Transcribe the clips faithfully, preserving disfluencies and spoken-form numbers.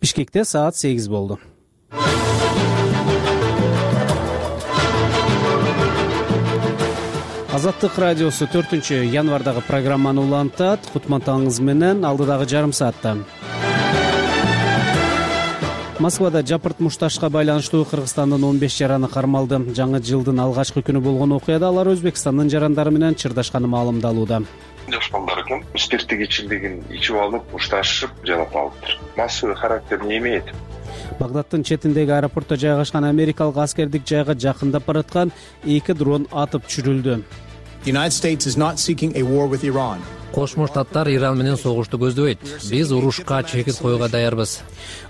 Бишкекте саат сегиз болду. Азаттык радиосу төртүнчү январдагы программаны улантат. Кутман таңыңыз менен алдыдагы жарым саатта. Москвада жапырт мушташка байланыштуу Кыргызстандын он беш жараны кармалды. Жаңы жылдын алгачкы күнү болгон окуяда алар Өзбекстандын жарандары менен чырдашканы маалымдалууда. Жаш балдар экен, спирттик ичимдигин ичип алып, мушташып жалап алыптыр. Массовый характер не имеет. Багдадтын четиндеги аэропортто жайгашкан америкалык аскердик жайга жакындап бараткан эки дрон атып түшүрүлдү. Кошмо Штаттар Иран менен согушту көздөбөйт. Биз урушка чекит коюуга даярбыз.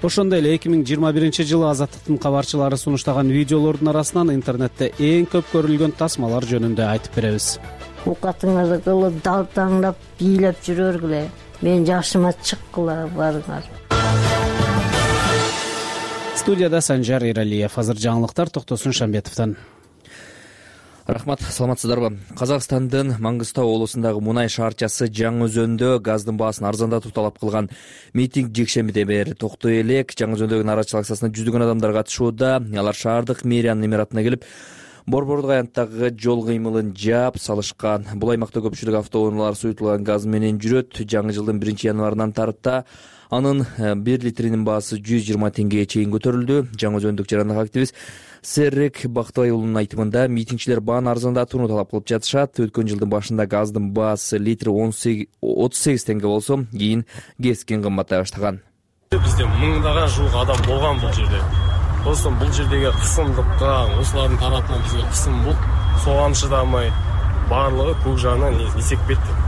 Ошондой эле эки миң жыйырма биринчи жылы Азаттыктын кабарчылары сунуштаган видеолордун арасынан интернетте эң көп көрүлгөн тасмалар жөнүндө айтып беребиз. Оокатыңарды кылып, далтаңдап, бийлеп жүрөргүлө. Мен жашыма чыккыла барыңар. Студияда Санжар Эралиев. Азыр жаңылыктар Токтосун Шамбетовдон. Рахмат, саламатсыздарбы? Казакстандын Маңгыстау облусундагы мунай шаарчасы Жаңы-Өзөндө газдын баасын арзандатуу талап кылган митинг жекшембиден бери токтой элек. Жаңы-Өзөндөгү нарачылык акциясына жүздөгөн адамдар катышууда. Алар шаардык мэриянын имаратына келип, Борбордук аянттагы жол кыймылын жаап салышкан. Бул аймакта көпчүлүк автоунаалар суютулган газ менен жүрөт. Жаңы жылдын биринчи январынан тарыпта анын бир литринин баасы жүз жыйырма теңгеге чейин көтөрүлдү. Жаңы-Өзөндүк жарандык активист Серрек Бактыбай уулунун айтымында, митингчилер бааны арзандатууну талап кылып жатышат. Өткөн жылдын башында газдын баасы литри отуз сегиз теңге болсо, кийин кескен кымбаттай баштаган. Бизде мыңдаган жуук адам болгон бул жерде. Достум, бул жердеги кысымдыкка, осулардын тарапынан бизге кысым бул. Соған чыдамай, баарлыгы көк жагынан эсек кетти.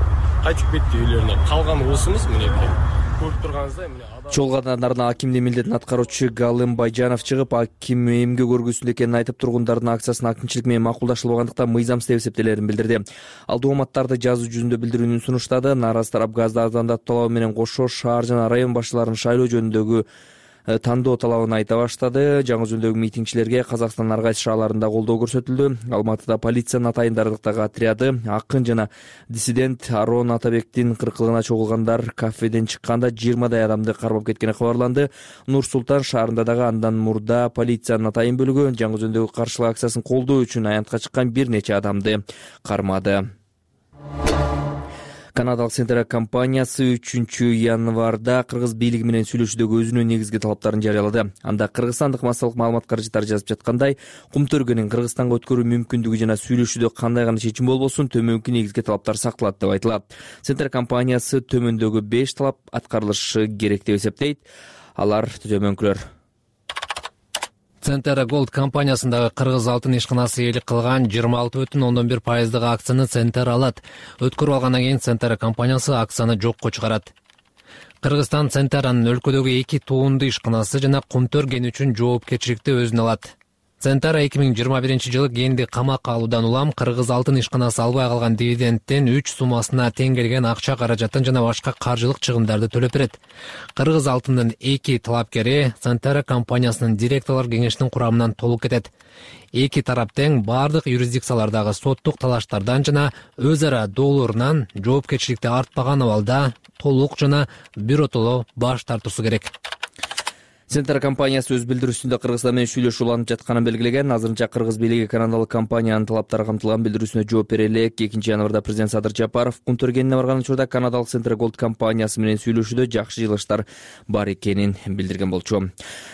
Кайтып кетти үйлөрүнө. Калган осумуз мынеки. Көрүп турганыңыздай мына Чол катарына акимдин милдетин аткаруучу Галым Байжанов чыгып, аким эмгек көргүсүндө экенин айтып, тургундардын акциясынын акимчилик менен макулдашылбагандыктан мыйзамсыз деп эсептелерин билдирди. Ал дооматтарды жазуу жүзүндө билдирүүнү сунуштады. Нааразы тарап газды арзандатуу талабы менен кошо шаар жана район башчыларын шайлоо жөнүндөгү тандоо талабын айта баштады. Жаңы-Өзөндөгү митингчилерге Казакстандын ар кайсы шаарларында колдоо көрсөтүлдү. Алматыда полициянын атайындардыктагы отряды акын жана диссидент Арон Атабектин кыркылыгына чогулгандар кафеден чыкканда жыйырмадай адамды кармап кеткени кабарланды. Нур-Султан шаарында дагы андан мурда полициянын атайын бөлүгү Жаңы-Өзөндөгү каршылык акциясын колдоо үчүн аянтка чыккан бир нече адамды кармады. Канадалык Центр компаниясы үчүнчү январда Кыргыз бийлиги менен сүйлөшүүдөгү өзүнүн негизги талаптарын жарыялады. Анда кыргызстандык массалык маалымат каражаттары жазып жаткандай, Кумтөргөнүн Кыргызстанга өткөрүү мүмкүндүгү жана сүйлөшүүдө кандай гана чечим болбосун төмөнкү негизги талаптар сакталат деп айтылат. Центр компаниясы төмөндөгү беш талап аткарылышы керек деп эсептейт. Алар төмөнкүлөр. Центр Голд компаниясындагы Кыргыз алтын ишканасы ээлик кылган жыйырма алты бүтүн ондон бир пайыздык акцияны Центр алат. Өткөрүп алгандан кийин Центр компаниясы акцияны жокко чыгарат. Кыргызстан Центр анын өлкөдөгү эки туунду ишканасы жана Кумтөр кени үчүн жоопкерчиликти өзүнө алат. Центр эки миң жыйырма биринчи жылы кенди камакка алуудан улам Кыргыз алтын ишканасы албай калган дивидендтен үч суммасына тең келген акча каражатын жана башка каржылык чыгымдарды төлөп берет. Кыргыз алтындын эки талапкери Центр компаниясынын директорлор кеңешинин курамынан толук кетет. Эки тарап тең бардык юрисдикциялардагы соттук талаштардан жана өз ара доолорунан жоопкерчиликти артпаган абалда толук жана биротоло баш тартуусу керек. Центр компаниясы өз билдирүүсүндө Кыргызстан менен сүйлөшүү уланып жатканын белгилеген. Азырынча Кыргыз бийлиги канадалык компаниянын талаптары камтылган билдирүүсүнө жооп бере элек. экинчи январда президент Садыр Жапаров Кумтөр кенине барган учурда канадалык Центр Голд компаниясы менен сүйлөшүүдө жакшы жылыштар бар экенин билдирген болчу.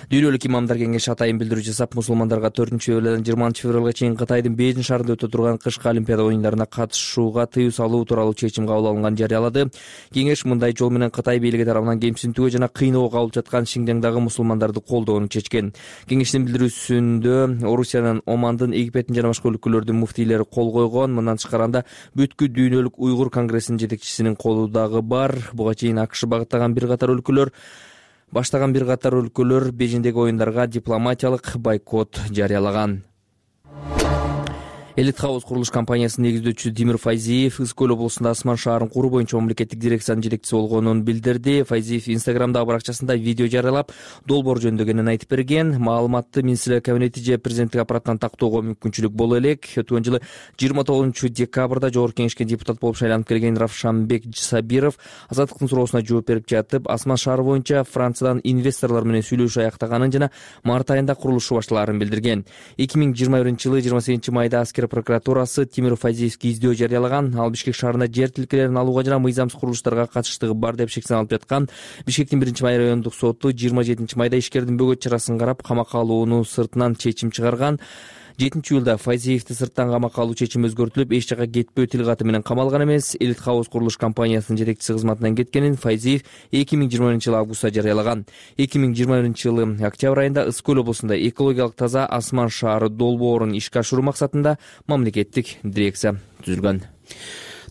Дүйнөлүк имамдар кеңеши атайын билдирүү жасап, мусулмандарга төртүнчү февралдан жыйырманчы февралга чейин Кытайдын Бейжин шаарында өтө турган кышкы Олимпиада оюндарына катышууга тыюу салуу тууралуу чечим кабыл алынганын жарыялады. Кеңеш мындай жол менен Кытай бийлиги тарабынан кемсинтүүгө жана кыйноого кабылып жаткан Шинжаңдагы мусулмандарды колдоону чечкен. Кеңештин билдирүүсүндө Орусиянын, Омандын, Египеттин жана башка өлкөлөрдүн муфтийлери кол койгон. Мындан тышкарында бүткүл дүйнөлүк уйгур конгрессинин жетекчисинин колу дагы бар. Буга чейин АКШ багыттаган бир катар өлкөлөр баштаган бир катар өлкөлөр Бейжиңдеги оюндарга дипломатиялык бойкот жарыялаган. Элит Хаус курулуш компаниясынын негиздөөчүсү Тимир Файзиев Ысык көл облусунда Асман шаарын куруу боюнча мамлекеттик дирекциянын жетекчиси болгонун билдирди. Файзиев Инстаграмдагы баракчасында видео жарыялап, долбоор жөнүндө кенен айтып берген. Маалыматты министрлер кабинети же президенттик аппараттан тактоого мүмкүнчүлүк боло элек. Өткөн жылы жыйырма тогузунчу декабрда Жогорку Кеңешке депутат болуп шайланып келген Равшанбек Сабиров Азаттыктын суроосуна жооп берип жатып, Асман шаары боюнча Франциядан инвесторлор менен сүйлөшүү аяктаганын жана март айында курулушу башталаарын билдирген. эки миң жыйырма биринчи жылы жыйырма сегизинчи майда аскер прокуратурасы Тимир Файзиевге издөө жарыялаган. Ал Бишкек шаарында жер тилкелерин алууга жана мыйзамсыз курулуштарга катыштыгы бар деп шектене алып жаткан. Бишкектин биринчи май райондук соту жыйырма жетинчи майда ишкердин бөгөт чарасын карап, камакка алууну сыртынан чечим чыгарган. жетинчи июлда Файзиевди сырттан камакка алуу чечими өзгөртүлүп, эч жака кетпөө тил каты менен камалган эмес. Элит Хаус курулуш компаниясынын жетекчиси кызматынан кеткенин Файзиев эки миң жыйырма биринчи жылы августта жарыялаган. эки миң жыйырма биринчи жылы октябрь айында Ысык көл облусунда экологиялык таза Асман шаары долбоорун ишке ашыруу максатында мамлекеттик дирекция түзүлгөн.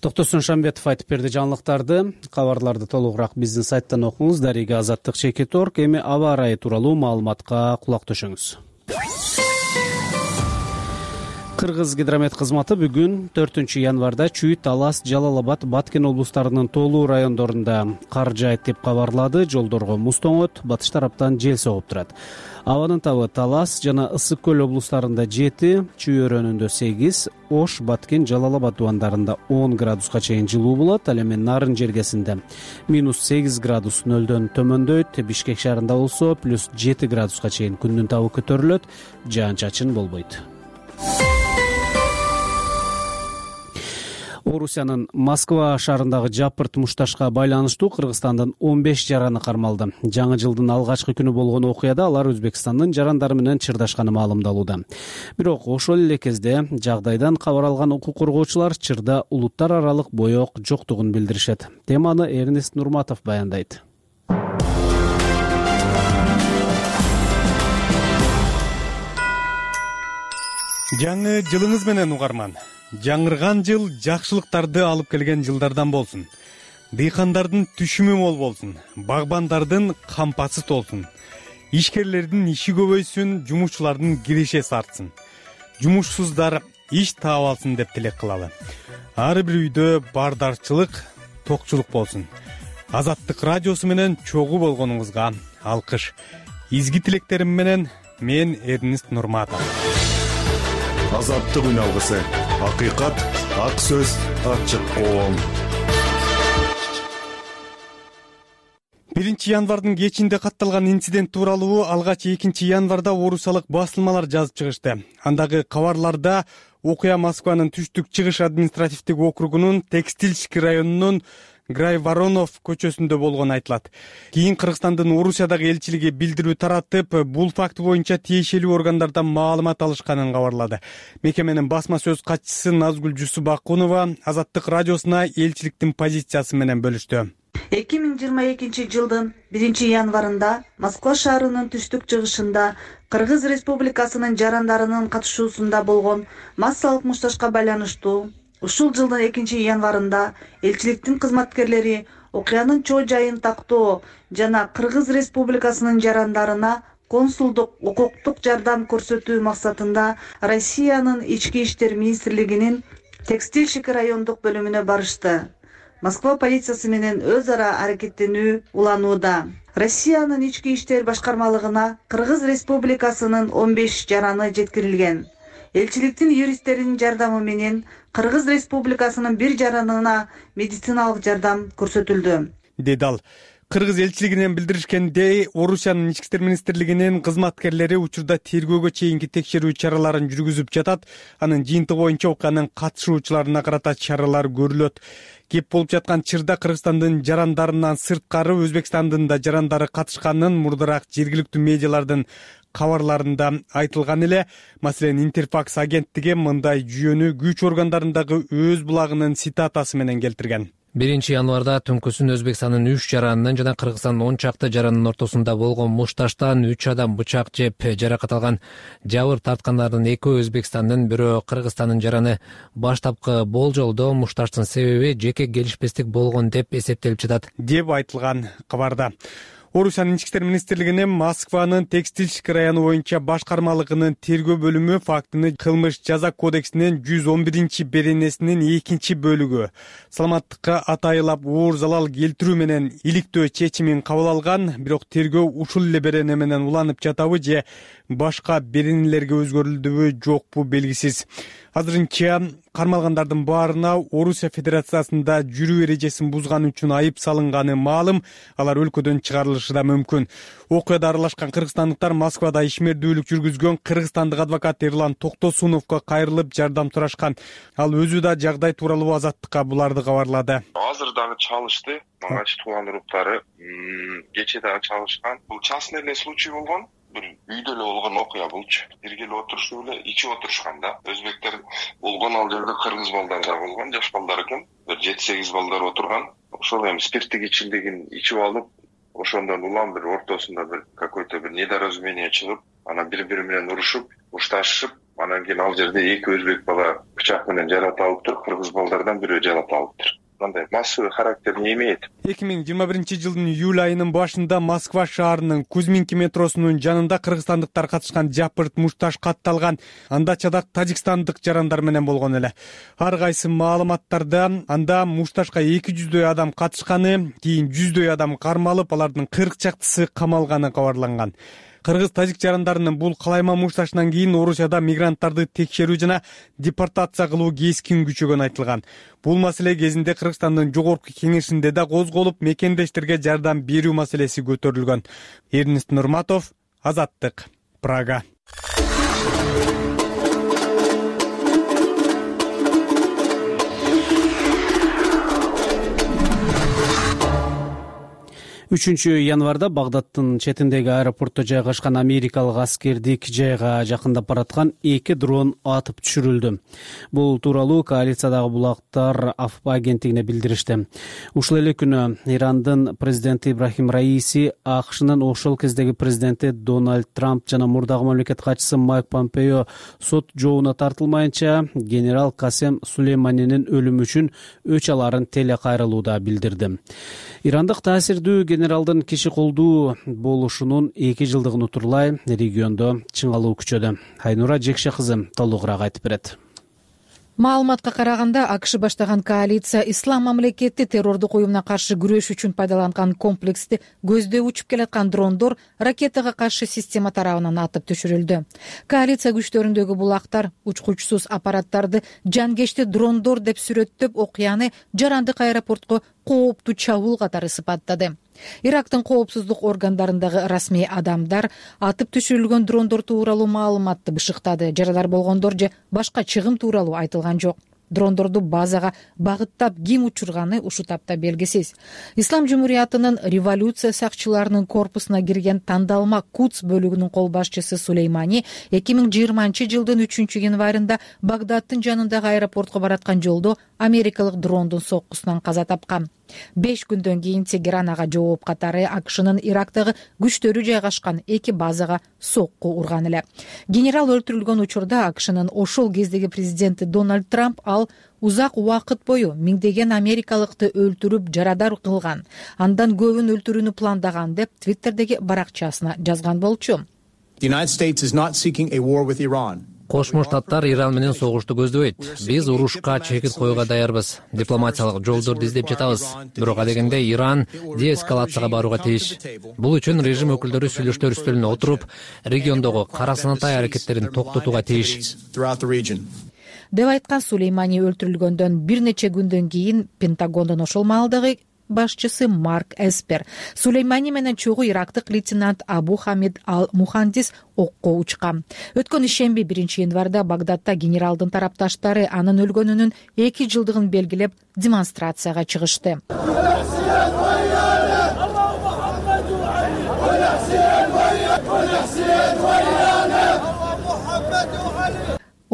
Токтосун Шамбетов айтып берди жаңылыктарды. Кабарларды толугураак биздин сайттан окуңуз. Дарига Азаттык чекит точка орг. Эми аба ырайы тууралуу маалыматка кулак төшөңүз. Кыргыз гидромет кызматы бүгүн төртүнчү январда Чүй, Талас, Жалал Абад, Баткен облустарынын тоолуу райондорунда кар жаайт деп кабарлады. Жолдорго муз тоңот, батыш тараптан жел согуп турат. Абанын табы Талас жана Ысык көл облустарында жети, Чүй өрөөнүндө сегиз, Ош, Баткен, Жалал Абад дубандарында он градуска чейин жылуу болот. Ал эми Нарын жергесинде минус сегиз градус нөлдөн төмөндөйт. Бишкек шаарында болсо плюс жети градуска чейин күндүн табы көтөрүлөт. Жаан-чачын болбойт. Орусиянын Москва шаарындагы жапырт мушташка байланыштуу Кыргызстандын он беш жараны кармалды. Жаңы жылдын алгачкы күнү болгон окуяда алар Өзбекстандын жарандары менен чырдашканы маалымдалууда. Бирок ошол эле кезде жагдайдан кабар алган укук коргоочулар чырда улуттар аралык боек жоктугун билдиришет. Теманы Эрнест Нурматов баяндайт. Жаңы жылыңыз менен угарман. Жаңырган жыл жакшылыктарды алып келген жылдардан болсун. Дыйкандардын түшүмү мол болсун, багбандардын кампасы толсун. Ишкерлердин иши көбөйсүн, жумушчулардын киреше артсын. Жумушсуздар иш таап алсын деп тилек кылалы. Ар бир үйдө бардарчылык, токчулук болсун. Азаттык радиосу менен чогуу болгонуңузга алкыш. Изги тилектерим менен мен Эрнест Нурматов. Азаттык үн алгысы. Акыйкат, ак сөз, ачык коом. биринчи январдын кечинде катталган инцидент тууралуу алгач экинчи январда орусиялык басылмалар жазып чыгышты. Андагы кабарларда окуя Москванын түштүк чыгыш административдик округунун Текстильский районунун Грай Воронов көчөсүндө болгону айтылат. Кийин Кыргызстандын Орусиядагы элчилиги билдирүү таратып, бул факт боюнча тиешелүү органдардан маалымат алышканын кабарлады. Мекеменин басма сөз катчысы Назгүл Жусубакунова Азаттык радиосуна элчиликтин позициясы менен бөлүштү. эки миң жыйырма экинчи жылдын биринчи январында Москва шаарынын түштүк чыгышында Кыргыз Республикасынын жарандарынын катышуусунда болгон массалык мушташка байланыштуу ушул жылдын экинчи январында элчиликтин кызматкерлери окуянын чоо жайын тактоо жана Кыргыз Республикасынын жарандарына консулдук укуктук жардам көрсөтүү максатында Россиянын Ички иштер министрлигинин Текстильщик райондук бөлүмүнө барышты. Москва полициясы менен өз ара аракеттенүү уланууда. Россиянын Ички иштер башкармалыгына Кыргыз Республикасынын он беш жараны жеткирилген. Элчиликтин юристтеринин жардамы менен Кыргыз Республикасынын бир жаранына медициналык жардам көрсөтүлдү, деди ал. Кыргыз элчилигинен билдиришкендей, Орусиянын Ички иштер министрлигинин кызматкерлери учурда тергөөгө чейинки текшерүү чараларын жүргүзүп жатат. Анын жыйынтыгы боюнча окуянын катышуучуларына карата чаралар көрүлөт. Кеп болуп жаткан чырда Кыргызстандын жарандарынан сырткары Өзбекстандын да жарандары катышканын мурдараак жергиликтүү медиалардын кабарларында айтылган эле. Маселен, Интерфакс агенттиги мындай жүйөнү күч органдарындагы өз булагынын цитатасы менен келтирген. биринчи январда түнкүсүн Өзбекстандын үч жаранынын жана Кыргызстандын он чакты жаранынын ортосунда болгон мушташтан үч адам бычак жеп жаракат алган. Жабыр тарткандардын экөө Өзбекстандын, бирөө Кыргызстандын жараны. Баштапкы болжолдо мушташтын себеби жеке келишпестик болгон деп эсептелип жатат, деп айтылган кабарда. Орусиянын ички иштер министрлигинин Москванын Текстильщик району боюнча башкармалыгынын тергөө бөлүмү фактыны кылмыш жаза кодексинин жүз он биринчи беренесинин экинчи бөлүгү саламаттыкка атайылап оор залал келтирүү менен иликтөө чечимин кабыл алган. Бирок тергөө ушул эле берене менен уланып жатабы же башка беренелерге өзгөрүлдүбү жокпу белгисиз. Азырынча кармалгандардын баарына Орусия Федерациясында жүрүү эрежесин бузганы үчүн айып салынганы маалым. Алар өлкөдөн чыгарылышы да мүмкүн. Окуяда аралашкан кыргызстандыктар Москвада ишмердүүлүк жүргүзгөн кыргызстандык адвокат Эрлан Токтосуновго кайрылып жардам сурашкан. Ал өзү да жагдай тууралуу Азаттыкка буларды кабарлады. Азыр дагы чалышты. Мага тууган уруктары кечээ дагы чалышкан. Бул частный эле случай болгон. Бир үйдө эле болгон окуя болчу. Бирге эле отурушуп эле ичип отурушкан да. Өзбектер болгон, ал жерде кыргыз балдар да болгон, жаш балдар экен. Бир жети сегиз балдар отурган. Ошол эми спирттик ичимдигин ичип алып, ошондон улам бир ортосунда бир какой-то бир недоразумение чыгып, анан бири-бири менен урушуп, ушташып, анан кийин ал жерде эки өзбек бала бычак менен жаратылыптыр, кыргыз балдардан бирөө жаратылыптыр. Мындай массовый характер не имеет. эки миң жыйырма биринчи жылдын июль айынын башында Москва шаарынын Кузьминки метросунун жанында кыргызстандыктар катышкан жапырт мушташ катталган. Анда чадак тажикстандык жарандар менен болгон эле. Ар кайсы маалыматтарда анда мушташка эки жүздөй адам катышканы, кийин жүздөй адам кармалып, алардын кырк чактысы камалганы кабарланган. Кыргыз-тажик жарандарынын бул калайма мушташынан кийин Орусияда мигранттарды текшерүү жана депортация кылуу кескин күчөгөнү айтылган. Бул маселе кезинде Кыргызстандын жогорку кеңешинде да козголуп, мекендештерге жардам берүү маселеси көтөрүлгөн. Эрнест Нурматов, Азаттык, Прага. үчүнчү январда Багдадтын четиндеги аэропортто жайгашкан америкалык аскердик жайга жакындап бараткан эки дрон атып түшүрүлдү. Бул тууралуу коалициядагы булактар АФП агенттигине билдиришти. Ушул эле күнү Ирандын президенти Ибрахим Раиси, АКШнын ошол кездеги президенти Дональд Трамп жана мурдагы мамлекет катчысы Майк Помпео сот жообуна тартылмайынча генерал Касем Сулейманинин өлүмү үчүн өч аларын телекайрылууда билдирди. Ирандык таасирдүү генералдын киши колдуу болушунун эки жылдыгын утурлай региондо чыңалуу күчөдө. Айнура Жекше кызы толугураак айтып берет. Маалыматка караганда, АКШ баштаган коалиция ислам мамлекети террордук уюмуна каршы күрөш үчүн пайдаланган комплексти көздөй учуп келаткан дрондор ракетага каршы система тарабынан атып түшүрүлдү. Коалиция күчтөрүндөгү булактар учкучсуз аппараттарды жанкечти дрондор деп сүрөттөп, окуяны жарандык аэропортко кооптуу чабуул катары сыпаттады. Ирактын коопсуздук органдарындагы расмий адамдар атып түшүрүлгөн дрондор тууралуу маалыматты бышыктады. Жаралар болгондор же башка чыгым тууралуу айтылган жок. Дрондорду базага багыттап ким учурганы ушул тапта белгисиз. Ислам Жумуриятынын революция сакчыларынын корпусуна кирген тандалма Кудс бөлүгүнүн кол башчысы Сулеймани эки миң жыйырманчы жылдын үчүнчү январында Багдадтын жанындагы аэропортко бараткан жолдо америкалык дрондун соккусунан каза тапкан. Беш күндөн кийин Тегеран ага жооп катары АКШнын Ирактагы күчтөрү жайгашкан эки базага сокку урган эле. Генерал өлтүрүлгөн учурда АКШнын ошол кездеги президенти Дональд Трамп ал узак убакыт бою миңдеген америкалыкты өлтүрүп жарадар кылган, андан көбүн өлтүрүүнү пландаган деп Твиттердеги баракчасына жазган болчу. Кошмо Штаттар Иран менен согушту көздөбөйт. Биз урушка чекит коюуга даярбыз. Дипломатиялык жолдорду издеп жатабыз. Бирок адегенде Иран деэскалацияга барууга тийиш. Бул үчүн режим өкүлдөрү сүйлөштөр үстөлүнө отуруп, региондогу карасанатай аракеттерин токтотууга тийиш. Деп айткан Сулеймани өлтүрүлгөндөн бир нече күндөн кийин Пентагондун ошол маалдагы башчысы Марк Эспер Сулеймани менен чогуу ирактык лейтенант Абу Хамид Ал-Мухандис окко учкан. Өткөн ишемби биринчи январда Багдадта генералдын тарапташтары анын өлгөнүнүн эки жылдыгын белгилеп демонстрацияга чыгышты.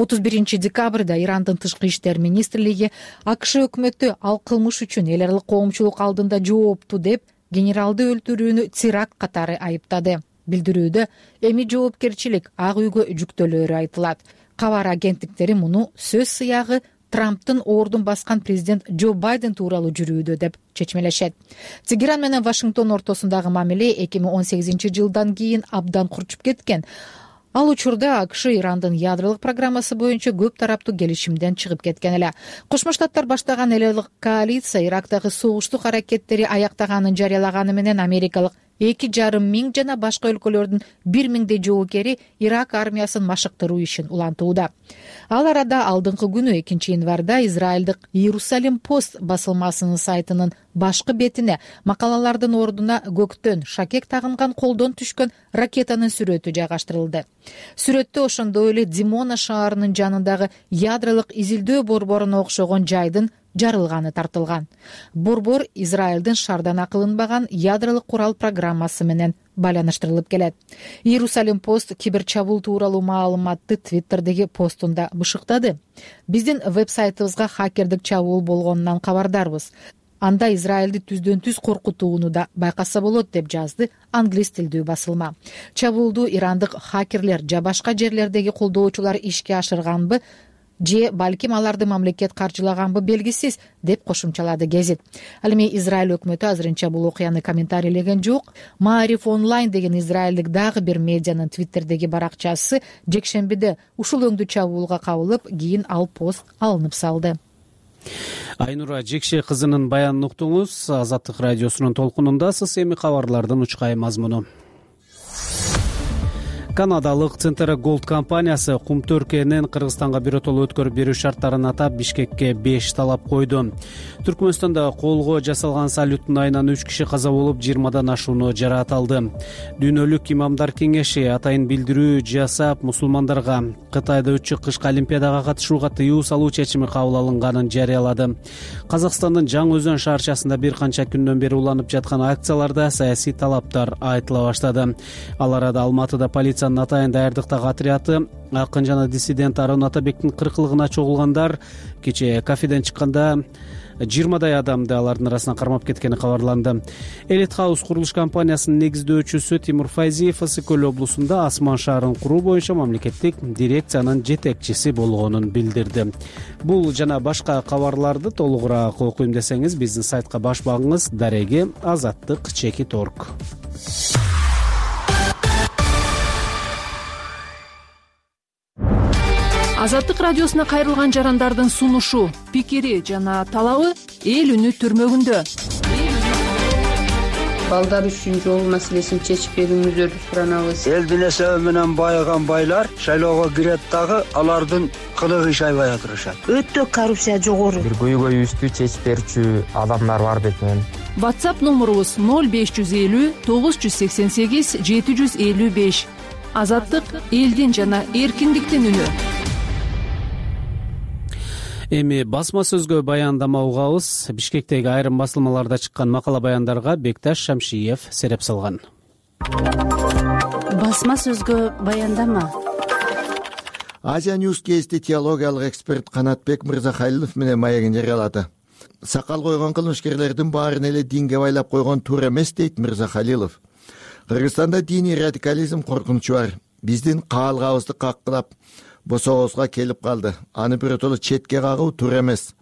отуз биринчи декабрда Ирандын тышкы иштер министрлиги АКШ өкмөтү ал кылмыш үчүн эл аралык коомчулук алдында жоопту деп генералды өлтүрүүнү теракт катары айыптады. Билдирүүдө эми жоопкерчилик Ак үйгө жүктөлөөрү айтылат. Кабар агенттиктери муну сөз сыягы Трамптын ордун баскан президент Джо Байден тууралуу жүрүүдө деп чечмелешет. Тегеран менен Вашингтон ортосундагы мамиле эки миң он сегизинчи жылдан кийин абдан курчуп кеткен. Ал учурда АКШ Ирандын ядролук программасы боюнча көп тараптуу келишимден чыгып кеткен эле. Кошмо Штаттар баштаган элелык коалиция Ирактагы согуштук аракеттери аяктаганын жарыялаганы менен америкалык эки жарым миң жана башка өлкөлөрдүн бир миңдей жоокери Ирак армиясын машыктыруу ишин улантууда. Ал арада алдыңкы күнү экинчи январда Израилдик Иерусалим Пост басылмасынын сайтынын башкы бетине макалалардын ордуна көктөн шакек тагынган колдон түшкөн ракетанын сүрөтү жайгаштырылды. Сүрөттө ошондой эле Димона шаарынын жанындагы ядролук изилдөө борборуна окшогон жайдын жарылганы тартылган. Борбор Израилдин шаардан акылынбаган ядролук курал программасы менен байланыштырылып келет. Иерусалим Пост киберчабуул тууралуу маалыматты Твиттердеги постунда бышыктады. Биздин веб-сайтыбызга хакердик чабуул болгонунан кабардарбыз. Анда Израилди түздөн түз коркутууну да байкаса болот деп жазды англис тилдүү басылма. Чабуулду ирандык хакерлер же башка жерлердеги колдоочулар ишке ашырганбы, же балким аларды мамлекет каржылаганбы белгисиз деп кошумчалады гезит. Ал эми Израиль өкмөтү азырынча бул окуяны комментарийлеген жок. Маариф онлайн деген израилдик дагы бир медианын Твиттердеги баракчасы жекшембиде ушул өңдүү чабуулга кабылып, кийин ал пост алынып салды. Айнура Жекше кызынын баянын уктуңуз. Азаттык радиосунун толкунундасыз. Эми кабарлардын учкай мазмуну. Канадалык Центра Голд компаниясы Кумтөркенин Кыргызстанга биротоло өткөрүп берүү шарттарын атап Бишкекке беш талап койду. Түркмөнстанда колго жасалган салюттун айынан үч киши каза болуп, жыйырмадан ашууну жараат алды. Дүйнөлүк имамдар кеңеши атайын билдирүү жасап, мусулмандарга Кытайда өтчү кышкы олимпиадага катышууга тыюу салуу чечими кабыл алынганын жарыялады. Казакстандын Жаңы Өзөн шаарчасында бир канча күндөн бери уланып жаткан акцияларда саясий талаптар айтыла баштады. Ал арада Алматыда полиция атайын даярдыктагы отряды акын жана диссидент Арон Атабектин кыркылыгына чогулгандар кечээ кафеден чыкканда жыйырмадай адамды алардын арасынан кармап кеткени кабарланды. Элит Хаус курулуш компаниясынын негиздөөчүсү Тимур Файзиев Ысык көл облусунда Асман шаарын куруу боюнча мамлекеттик дирекциянын жетекчиси болгонун билдирди. Бул жана башка кабарларды толугураак окуйм десеңиз биздин сайтка баш багыңыз. Дареги азаттык чекит орг. Азаттык радиосуна кайрылган жарандардын сунушу, пикири жана талабы эл үнү түрмөгүндө. Балдар үчүн жол маселесин чечип берүүңүздөрдү суранабыз. Элдин эсеби менен байыган байлар шайлоого кирет дагы алардын кылыгы иш айбай отурушат. Өтө коррупция жогору. Бир көйгөйүбүздү чечип берүүчү адамдар бар бекен. WhatsApp номурубуз ноль беш жүз элүү тогуз жүз сексен сегиз жети жүз элүү беш. Азаттык элдин жана эркиндиктин үнү. Эми басма сөзгө баяндама угабыз. Бишкектеги айрым басылмаларда чыккан макала баяндарга Бекташ Шамшиев сереп салган. Басма сөзгө баяндама. Азия Ньюс кезди теологиялык эксперт Канатбек Мырзахалилов менен маегин жарыялады. Сакал койгон кылмышкерлердин баарын эле динге байлап койгон туура эмес дейт Мырзахалилов. Кыргызстанда диний радикализм коркунучу бар. Биздин каалгабызды каккылап босообузга келип калды. Аны биротоло четке кагуу туура эмес.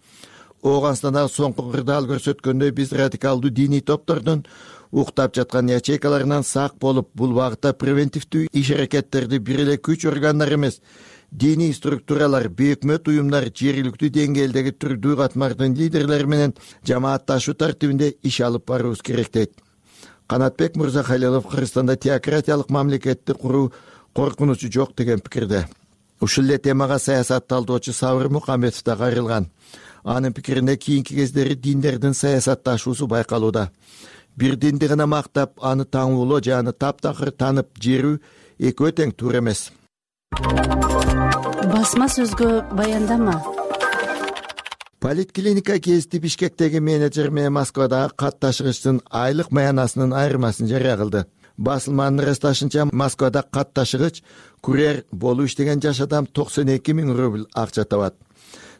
Ооганстандагы соңку кырдаал көрсөткөндөй биз радикалдуу диний топтордун уктап жаткан ячейкаларынан сак болуп, бул багытта превентивдүү иш аракеттерди бир эле күч органдары эмес, диний структуралар, бейөкмөт уюмдар, жергиликтүү деңгээлдеги түрдүү катмардын лидерлери менен жамаатташуу тартибинде иш алып баруубуз керек дейт. Канатбек Мырзахалилов Кыргызстанда теократиялык мамлекетти куруу коркунучу жок деген пикирде. Ушул эле темага саясат талдоочу Сабыр Мукамбетов да кайрылган. Анын пикирине кийинки кездери диндердин саясатташуусу байкалууда. Бир динди гана мактап, аны таңуулоо же аны таптакыр танып жерүү экөө тең туура эмес. Басма сөзгө баяндама. Политклиника кезди Бишкектеги менеджер менен Москвадагы кат ташыгычтын айлык маянасынын айырмасын жарыя кылды. Басылманын ырасташынча Москвада кат ташыгыч курьер болуп иштеген жаш адам токсон эки миң рубль акча табат.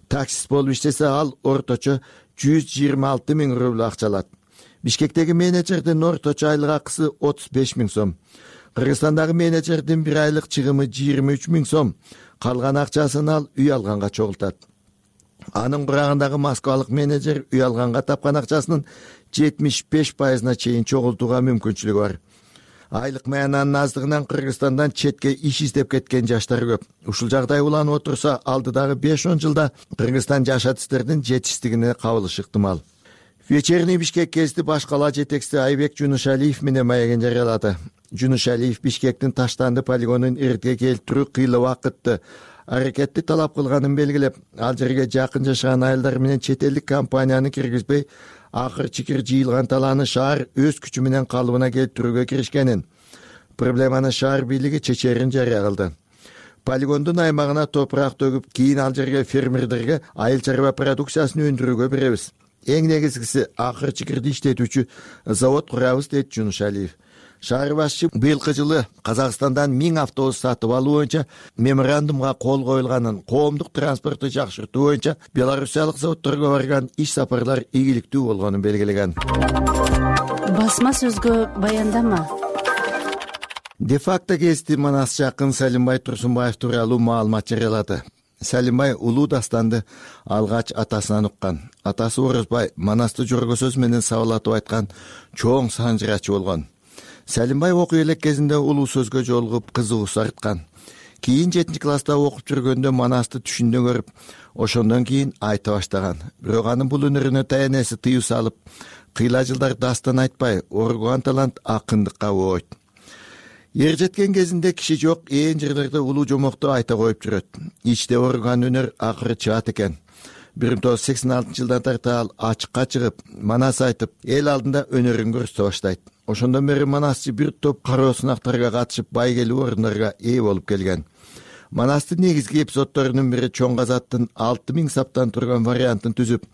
Таксист болуп иштесе ал орточо жүз жыйырма алты миң рубль акча алат. Бишкектеги менеджердин орточо айлык акысы отуз беш миң сом. Кыргызстандагы менеджердин бир айлык чыгымы жыйырма үч миң сом. Калган акчасын ал үй алганга чогултат. Анын курагындагы москвалык менеджер үй алганга тапкан акчасынын жетимиш беш пайызына чейин чогултууга мүмкүнчүлүгү бар. Айлык маянанын аздыгынан Кыргызстандан четке иш издеп кеткен жаштар көп. Ушул жагдай уланып отурса, алдыдагы беш он жылда Кыргызстан жаш адистердин жетишсиздигине кабылышы ыктымал. Вечерний Бишкек гезити баш кала жетекчиси Айбек Жунушалиев менен маегин жарыялады. Жунушалиев Бишкектин Таштанды полигонун эритке келтирүү кыйла убакытты аракетти талап кылганын белгилеп, ал жерге жакын жашаган айылдар менен чет элдик компанияны киргизбей, акыр чикир жыйылган талааны шаар өз күчү менен калыбына келтирүүгө киришкенин, проблеманы шаар бийлиги чечерин жарыя кылды. Полигондун аймагына топурак төгүп, кийин ал жерге фермерлерге айыл чарба продукциясын өндүрүүгө беребиз. Эң негизгиси акыр чикирди иштетүүчү завод курабыз, дейт Жунушалиев. Шаар башчы быйылкы жылы Казакстандан миң автобус сатып алуу боюнча меморандумга кол коюлганын, коомдук транспорту жакшыртуу боюнча белорусиялык заводдорго барган иш сапарлар ийгиликтүү болгонун белгилеген. Басма сөзгө баяндама. Де-факто гезити Манас жакын Салимбай Турсунбаев тууралуу маалымат жарыялады. Салимбай улуу дастанды алгач атасынан уккан. Атасы Орозбай Манасты жорго сөз менен сабалатып айткан чоң санжырачы болгон. Салимбай окуу элек кезинде улуу сөзгө жолугуп кызыгуусу арткан. Кийин жетинчи класста окуп жүргөндө Манасты түшүндө көрүп, ошондон кийин айта баштаган. Бирок анын бул өнөрүнө таянеси тыюу салып, кыйла жылдар дастан айтпай, оргуган талант акындыкка боойт. Ер жеткен кезинде киши жок ээн жерлерде улуу жомокту айта коюп жүрөт. Ичте оргуган өнөр акыры чыгат экен. бир миң тогуз жүз сексен алтынчы жылдан тарта ал ачыкка чыгып, Манас айтып, эл алдында өнөрүн көрсөтө баштайт. Ошондон бери Манасчы бир топ кароо сынактарга катышып, байгелүү орундарга ээ болуп келген. Манастын негизги эпизоддорунун бири Чоң Казаттын алты миң саптан турган вариантын түзүп,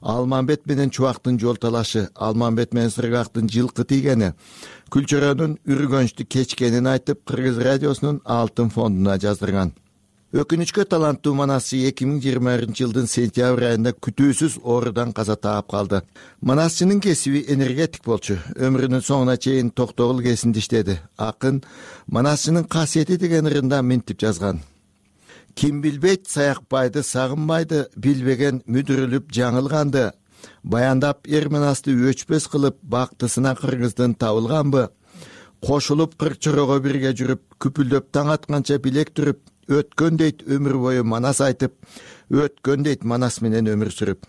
Алмамбет менен Чубактын жол талашы, Алмамбет менен Сыргактын жылкы тийгени, Күлчөрөнүн үргөнчтү кечкенин айтып, Кыргыз радиосунун алтын фондуна жаздырган. Өкүнүчкө таланттуу Манасчы эки миң жыйырма биринчи жылдын сентябрь айында күтүүсүз оорудан каза таап калды. Манасчынын кесиби энергетик болчу. Өмүрүнүн соңуна чейин Токтогул кесинде иштеди. Акын Манасчынын касиети деген ырында минтип жазган. Ким билбейт саякпайды, сагынбайды, билбеген мүдүрүлүп жаңылганды. Баяндап эр Манасты өчпөс кылып, бактысына кыргыздын табылганбы? Кошулуп кырчырого бирге жүрүп, күпүлдөп таң атканча билек түрүп, өткөн дейт өмүр бою Манас айтып, өткөн дейт Манас менен өмүр сүрүп.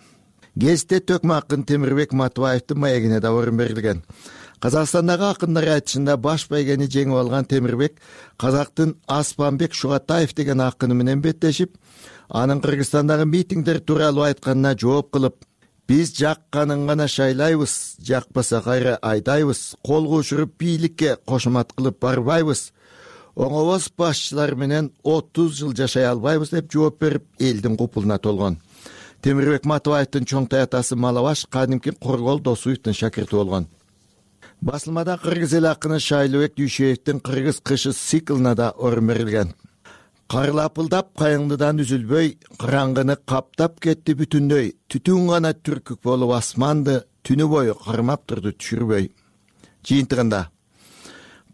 Гезитте Төкмө акын Темирбек Матыбаевдин маегине да орун берилген. Казакстандагы акындар айтышында баш байгени жеңип алган Темирбек казактын Аспанбек Шугатаев деген акыны менен беттешип, анын Кыргызстандагы митингдер тууралуу айтканына жооп кылып, биз жакканын гана шайлайбыз, жакпаса кайра айдайбыз, кол кушуруп бийликке кошомат кылып барбайбыз, оңобоз башчылар менен отуз жыл жашай албайбыз деп жооп берип, элдин купулуна толгон. Темирбек Матыбаевдин чоң таятасы Малабаш кадимки Коргол Досуевдин шакирти болгон. Басылмада кыргыз эл акыны Шайлообек Дүйшөевдин Кыргыз кышы циклына да орун берилген. Карлапылдап кайыңдыдан үзүлбөй, кыраңгыны каптап кетти бүтүндөй, түтүн гана түркүк болуп асманды түнү бою кармап турду түшүрбөй. Жыйынтыгында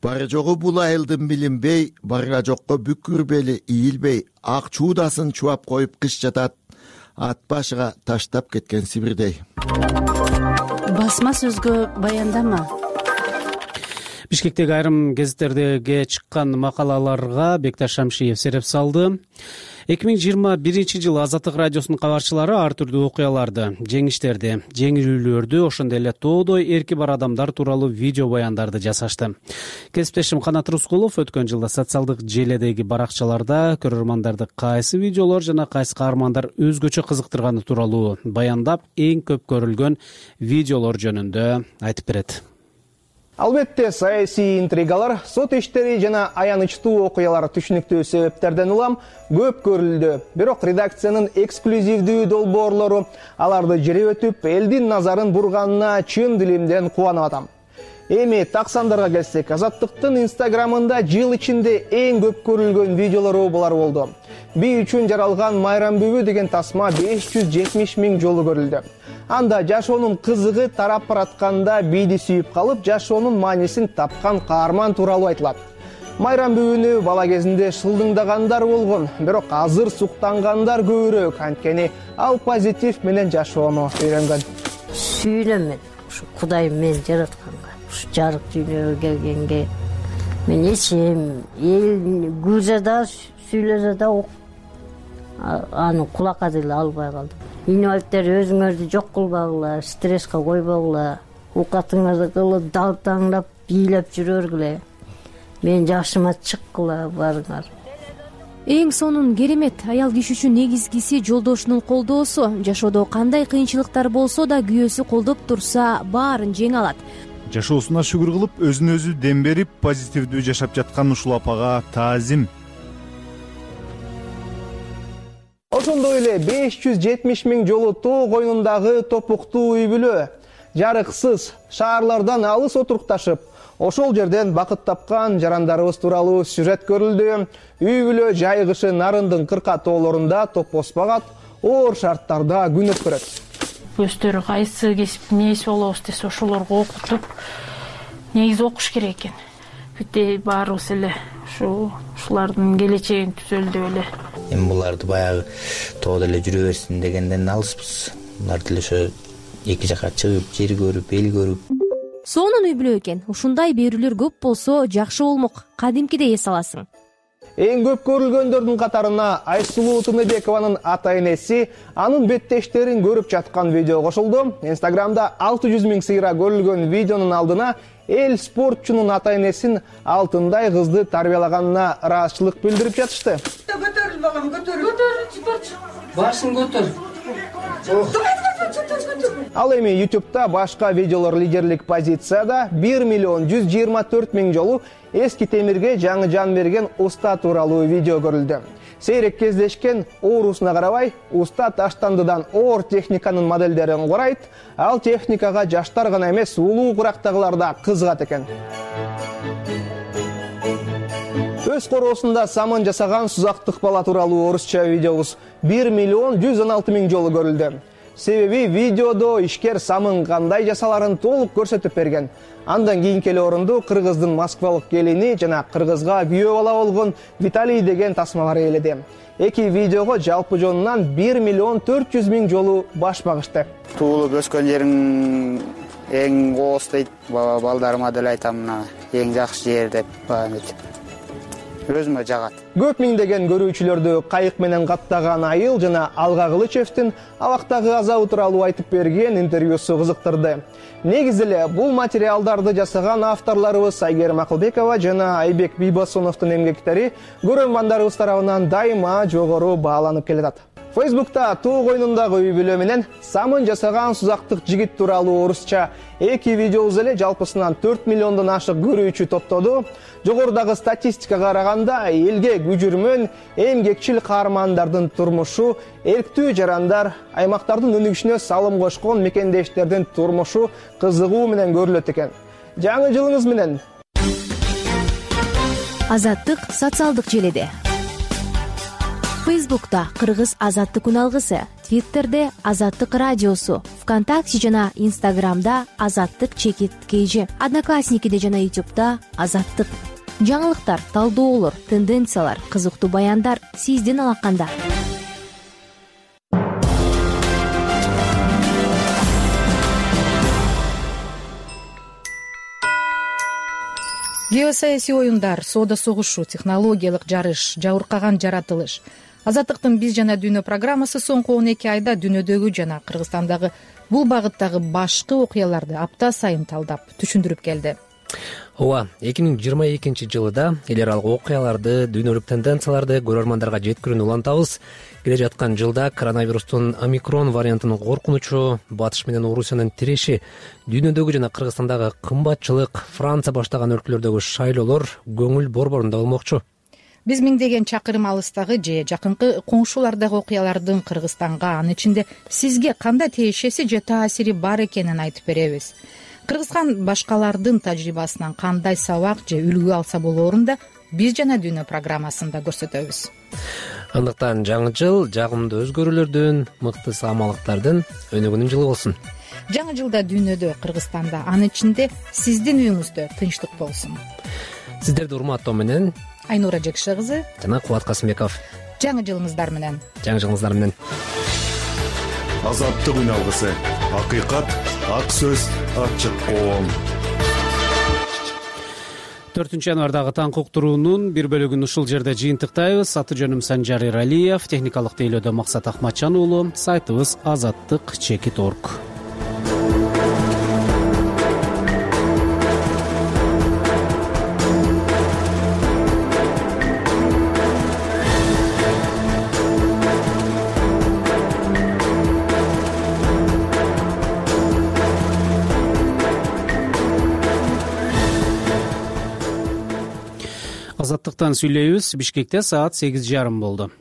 бары жогу бул айылдын билинбей, барга жокко бүкүр бели ийилбей, ак чуудасын чубап коюп кыш жатат, ат башыга таштап кеткен Сибирдей. Басма сөзгө баяндама. Бишкектеги айрым гезиттердеги чыккан макалаларга Бекташ Шамшиев сереп салды. эки миң жыйырма биринчи жылы Азаттык радиосунун кабарчылары ар түрдүү окуяларды, жеңиштерди, жеңилүүлөрдү, ошондой эле тоодой эрки бар адамдар тууралуу видео баяндарды жасашты. Кесиптешим Канат Рускулов өткөн жылда социалдык желедеги баракчаларда көрөрмандарды кайсы видеолор жана кайсы каармандар өзгөчө кызыктырганы тууралуу баяндап, эң көп көрүлгөн видеолор жөнүндө айтып берет. Албетте, саясий интригалар, сот иштери жана аянычтуу окуялар түшүнүктүү себептерден улам көп көрүлдү. Бирок редакциянын эксклюзивдүү долбоорлору аларды жире өтүп, элдин назарын бурганына чын дилимден кубанып атам. Эми таксандарга келсек, Азаттыктын инстаграмында жыл ичинде эң көп көрүлгөн видеолору булар болду. Би үчүн жаралган майрам бүбү деген тасма беш жүз жетимиш миң жолу көрүлдү. Анда жашоонун кызыгы тарап баратканда биди сүйүп калып, жашоонун маанисин тапкан каарман тууралуу айтылат. Майрам бүгүнү бала кезинде шылдыңдагандар болгон, бирок азыр суктангандар көбүрөөк, анткени ал позитив менен жашоону үйрөнгөн. Сүйүнөм мен ушу Кудайым мени жаратканга, ушу жарык дүйнөгө келгенге. Мен эчем, эл күлсө да, сүйлөсө да аны кулакка деле албай калдым. Инвалидтер өзүңөрдү жок кылбагыла, стресске койбогула, оокатыңарды кылып, далтаңдап, бийлеп жүрөргүлө. Мен жашыма чыккыла барыңар. Эң сонун керемет аял киши үчүн негизгиси жолдошунун колдоосу. Жашоодо кандай кыйынчылыктар болсо да күйөөсү колдоп турса, баарын жеңе алат. Жашоосуна шүгүр кылып, өзүн өзү дем берип, позитивдүү жашап жаткан ушул апага таазим. Ошондой эле беш жүз жетимиш миң жолу тоо коюнундагы топуктуу үй бүлө жарыксыз шаарлардан алыс отурукташып, ошол жерден бакыт тапкан жарандарыбыз тууралуу сюжет көрүлдү. Үй бүлө жайгышы Нарындын кырка тоолорунда топпоспагат оор шарттарда күн өткөрөт. Өздөрү кайсы кесиптин ээси болобуз десе ошолорго окутуп, негизи окуш керек экен. Бүт баарыбыз эле ушу ушулардын келечегин түзөлү деп эле. Эми буларды баягы тоодо эле жүрө берсин дегенден алыспыз. Булар деле ошо эки жака чыгып, жер көрүп, эл көрүп. Сонун үй бүлө экен. Ушундай берүүлөр көп болсо жакшы болмок. Кадимкиде эс аласың. Эң көп көрүлгөндөрдүн катарына Айсулуу Тыныбекованын ата-энеси анын беттештерин көрүп жаткан видео кошулду. Инстаграмда алты жүз миң сыйра көрүлгөн видеонун алдына эл спортчунун ата-энесин алтындай кызды тарбиялаганына ыраазычылык билдирип жатышты. Көтөрүл балам, көтөрүл. Көтөрүл, башын көтөр. Ал эми YouTube'да башка видеолор лидерлик позицияда бир миллион жүз жыйырма төрт миң жолу эски темирге жаңы жан берген уста тууралуу видео көрүлдү. Сейрек кездешкен оорусуна карабай, уста таштандыдан оор техниканын моделдерин курайт. Ал техникага жаштар гана эмес, улуу курактагылар да кызыгат экен. Өз короосунда самын жасаган сузактык бала тууралуу орусча видеобуз бир миллион жүз он алты миң жолу көрүлдү. Себеби видеодо ишкер самын кандай жасаларын толук көрсөтүп берген. Андан кийинки эле орунду кыргыздын Москвалык келини жана кыргызга күйөө бала болгон Виталий деген тасмалар ээледи. Эки видеого жалпы жонунан бир миллион төрт жүз миң жолу баш багышты. Туулуп өскөн жериң эң кооз дейт. Балдарыма деле айтам, мына эң жакшы жер деп өзүмө жагат. Көп миңдеген көрүүчүлөрдү кайык менен каттаган айыл жана Алга Кылычевдин абактагы азабы тууралуу айтып берген интервьюсу кызыктырды. Негизи эле бул материалдарды жасаган авторлорубуз Айгерим Акылбекова жана Айбек Бийбосуновдун эмгектери көрөрмандарыбыз тарабынан дайыма жогору бааланып келатат. Фейсбукта тоо коюнундагы үй бүлө менен самын жасаган сузактык жигит тууралуу орусча эки видеобуз эле жалпысынан төрт миллиондон ашык көрүүчү топтоду. Жогорудагы статистикага караганда элге күжүрмөн эмгекчил каармандардын турмушу, эрктүү жарандар, аймактардын өнүгүшүнө салым кошкон мекендештердин турмушу кызыгуу менен көрүлөт экен. Жаңы жылыңыз менен. Азаттык социалдык желеде. Фейсбукта Кыргыз Азаттык күн алгысы, Твиттерде Азаттык радиосу, ВКонтакте жана Инстаграмда Азаттык чекит кейжи, Одноклассникиде жана Ютубта Азаттык. Жаңылыктар, талдоолор, тенденциялар, кызыктуу баяндар сиздин алаканда. Геосаясий оюндар, соода согушу, технологиялык жарыш, жабыркаган жаратылыш. Азаттыктын биз жана дүйнө программасы соңку он эки айда дүйнөдөгү жана Кыргызстандагы бул багыттагы башкы окуяларды апта сайын талдап, түшүндүрүп келди. Ооба, эки миң жыйырма экинчи жылда эл аралык окуяларды, дүйнөлүк тенденцияларды көрөрмандарга жеткирүүнү улантабыз. Келе жаткан жылда коронавирустун омикрон вариантынын коркунучу, Батыш менен Орусиянын тиреши, дүйнөдөгү жана Кыргызстандагы кымбатчылык, Франция баштаган өлкөлөрдөгү шайлоолор көңүл борборунда болмокчу. Биз миңдеген чакырым алыстагы же жакынкы коңшулардагы окуялардын Кыргызстанга, анын ичинде сизге кандай тиешеси же таасири бар экенин айтып беребиз. Кыргызстан башкалардын тажрыйбасынан кандай сабак же үлгү алса болоорун да биз жана дүйнө программасында көрсөтөбүз. Андыктан жаңы жыл жагымдуу өзгөрүүлөрдүн, мыкты саамалыктардын өнүгүүнүн жылы болсун. Жаңы жылда дүйнөдө, Кыргызстанда, анын ичинде сиздин үйүңүздө тынчтык болсун. Сиздерди урматтоо менен Айнура Жекше кызы жана Кубат Касымбеков. Жаңы жылыңыздар менен. Жаңы жылыңыздар менен. Азаттык үн алгысы. Акыйкат, ак сөз, ачык коом. төртүнчү январдагы таңкы уктуруунун бир бөлүгүн ушул жерде жыйынтыктайбыз. Аты жөнүм Санжар Иралиев, техникалык тейлөөдө Максат Ахматжан уулу, сайтыбыз азаттык чекит орг. Азаттыктан сүйлөйбүз. Бишкекте саат сегиз жарым болду.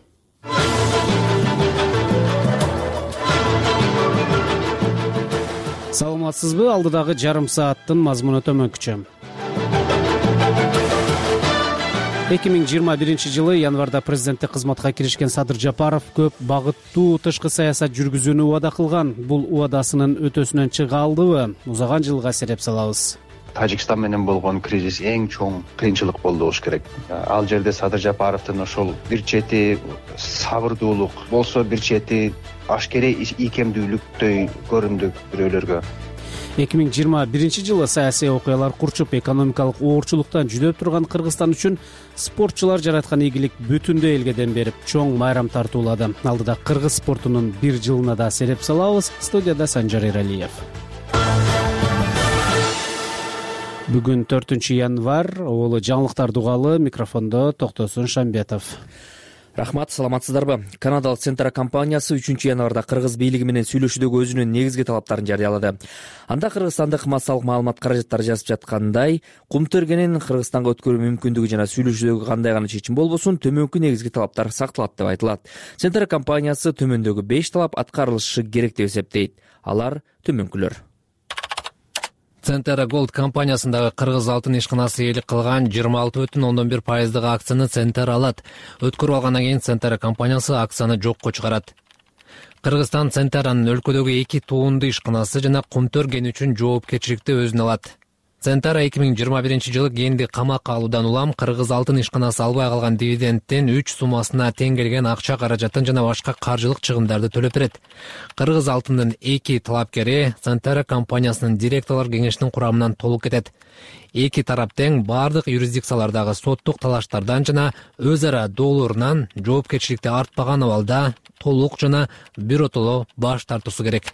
Саламатсызбы? Алдыдагы жарым сааттын мазмуну төмөнкүчө. эки миң жыйырма биринчи жылы январда президенттик кызматка киришкен Садыр Жапаров көп багыттуу тышкы саясат жүргүзүүнү убада кылган. Бул убадасынын өтөсүнөн чыга алдыбы? Узаган жылга сереп салабыз. Тажикстан менен болгон кризис эң чоң кыйынчылык болду болуш керек. Ал жерде Садыр Жапаровдун ошол бир чети сабырдуулук болсо, бир чети ашкере ийкемдүүлүктөй көрүндү бирөөлөргө. эки миң жыйырма биринчи жылы саясий окуялар курчуп, экономикалык оорчулуктан жүдөп турган Кыргызстан үчүн спортчулар жараткан ийгилик бүтүндөй элге дем берип, чоң майрам тартуулады. Алдыда кыргыз спортунун бир жылына да сереп салабыз. Студияда Санжар Иралиев. Бүгүн төртүнчү январ, оолу жаңылыктарды угалы, микрофондо Токтосун Шамбетов. Рахмат, саламатсыздарбы? Канадалык Центра компаниясы үчүнчү январда кыргыз бийлиги менен сүйлөшүүдөгү өзүнүн негизги талаптарын жарыялады. Анда кыргызстандык массалык маалымат каражаттары жазып жаткандай, кумтөргенин Кыргызстанга өткөрүү мүмкүндүгү жана сүйлөшүүдөгү кандай гана чечим болбосун, төмөнкү негизги талаптар сакталат деп айтылат. Центра компаниясы төмөндөгү беш талап аткарылышы керек деп эсептейт. Алар төмөнкүлөр. Центра Голд компаниясындагы кыргыз алтын ишканасы ээлик кылган жыйырма алты бүтүн ондон бир пайыздык акцияны Центр алат. Өткөрүп алгандан кийин Центра компаниясы акцияны жокко чыгарат. Кыргызстан Центранын өлкөдөгү эки туунду ишканасы жана кумтөр кени үчүн жоопкерчиликти өзүнө алат. Центра эки миң жыйырма биринчи жылы кенди камакка алуудан улам кыргыз алтын ишканасы албай калган дивидендтен үч суммасына тең келген акча каражатын жана башка каржылык чыгымдарды төлөп берет. Кыргыз алтындын эки талапкери Центра компаниясынын директорлор кеңешинин курамынан толук кетет. Эки тарап тең бардык юрисдикциялардагы соттук талаштардан жана өз ара доолорунан жоопкерчиликти артпаган абалда толук жана биротоло баш тартуусу керек.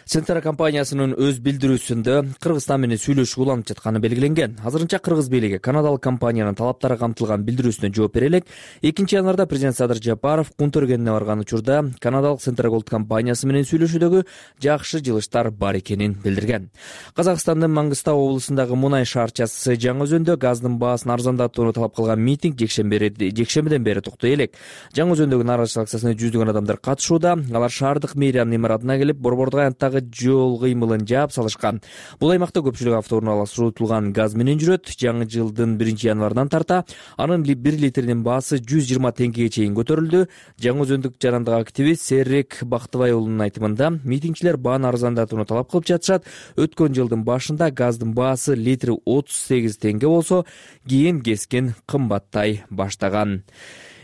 Центра компаниясынын өз билдирүүсүндө Кыргызстан менен сүйлөшүү уланып жатканы белгиленген. Азырынча кыргыз бийлиги канадалык компаниянын талаптары камтылган билдирүүсүнө жооп бере элек. экинчи январда президент Садыр Жапаров кумтөргенине барган учурда канадалык Центра Голд компаниясы менен сүйлөшүүдөгү жакшы жылыштар бар экенин билдирген. Казакстандын Маңгыстау облусундагы мунай шаарчасы Жаңы Өзөндө газдын баасын арзандатууну талап кылган митинг жекшембиден бери токтой элек. Жаңы Өзөндөгү нааразычылык акциясына жүздөгөн адамдар катышууда. Алар шаардык мэриянын имаратына келип, борбордук аянттагы жол кыймылын жаап салышкан. Бул аймакта көпчүлүк автоунаалар суутулган газ менен жүрөт. Жаңы жылдын биринчи январынан тарта анын бир литринин баасы жүз жыйырма теңгеге чейин көтөрүлдү. Жаңы Өзөндүк жарандык активист Серрек Бактыбай уулунун айтымында, митингчилер бааны арзандатууну талап кылып жатышат. Өткөн жылдын башында газдын баасы литри отуз сегиз теңге болсо, кийин кескин кымбаттай баштаган.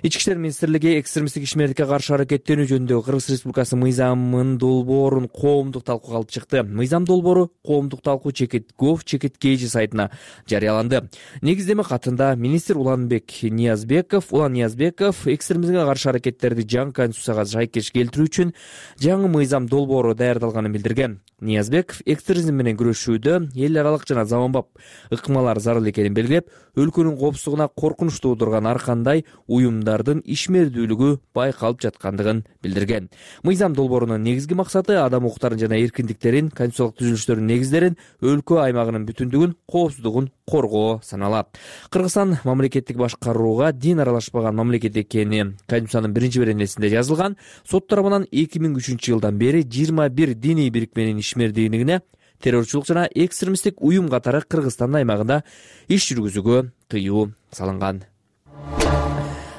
Ички иштер министрлиги экстремисттик ишмердикке каршы аракеттенүү жөнүндөгү Кыргыз Республикасы мыйзамынын долбоорун коомдук талкууга алып чыкты. Мыйзам долбоору коомдук талкуу чекит гов чекит kg сайтына жарыяланды. Негиздеме катында министр Уланбек Ниязбеков, Улан Ниязбеков экстремизмге каршы аракеттерди жаңы конституцияга шайкеш келтирүү үчүн жаңы мыйзам долбоору даярдалганын билдирген. Ниязбеков экстремизм менен күрөшүүдө эл аралык жана заманбап ыкмалар зарыл экенин белгилеп, өлкөнүн коопсуздугуна коркунуч туудурган ар кандай уюмдардын ишмердүүлүгү байкалып жаткандыгын билдирген. Мыйзам долбоорунун негизги максаты адам укуктарын жана эркиндиктерин, конституциялык түзүлүштөрдүн негиздерин, өлкө аймагынын бүтүндүгүн, коопсуздугун коргоо саналат. Кыргызстан мамлекеттик башкарууга дин аралашпаган мамлекет экени Конституциянын биринчи беренесинде жазылган. Сот тарабынан эки миң үчүнчү жылдан бери жыйырма бир диний бирикменин ишмердүүлүгүнө террорчулук жана экстремисттик уюм катары Кыргызстан аймагында иш жүргүзүүгө тыюу салынган.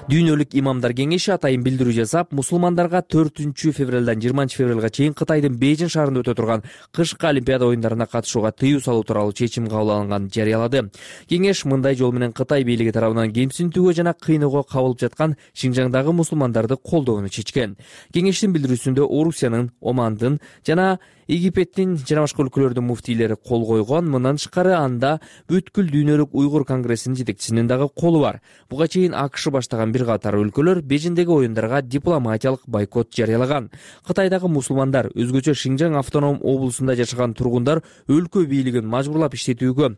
Дүйнөлүк имамдар кеңеши атайын билдирүү жасап, мусулмандарга төртүнчү февралдан жыйырманчы февралга чейин Кытайдын Бейжин шаарында өтө турган кышкы Олимпиада оюндарына катышууга тыюу салуу тууралуу чечим кабыл алынганын жарыялады. Кеңеш мындай жол менен Кытай бийлиги тарабынан кемсинтүүгө жана кыйноого кабылып жаткан Шинжаңдагы мусулмандарды колдоону чечкен. Кеңештин билдирүүсүндө Орусиянын, Омандын жана Египеттин жана башка өлкөлөрдүн муфтийлери кол койгон. Мындан тышкары анда бүткүл дүйнөлүк уйгур конгрессинин жетекчисинин дагы колу бар. Буга чейин АКШ баштаган бир катар өлкөлөр Бейжиңдеги оюндарга дипломатиялык бойкот жарыялаган. Кытайдагы мусулмандар, өзгөчө Шинжаң автоном облусунда жашаган тургундар өлкө бийлигин мажбурлап иштетүүгө,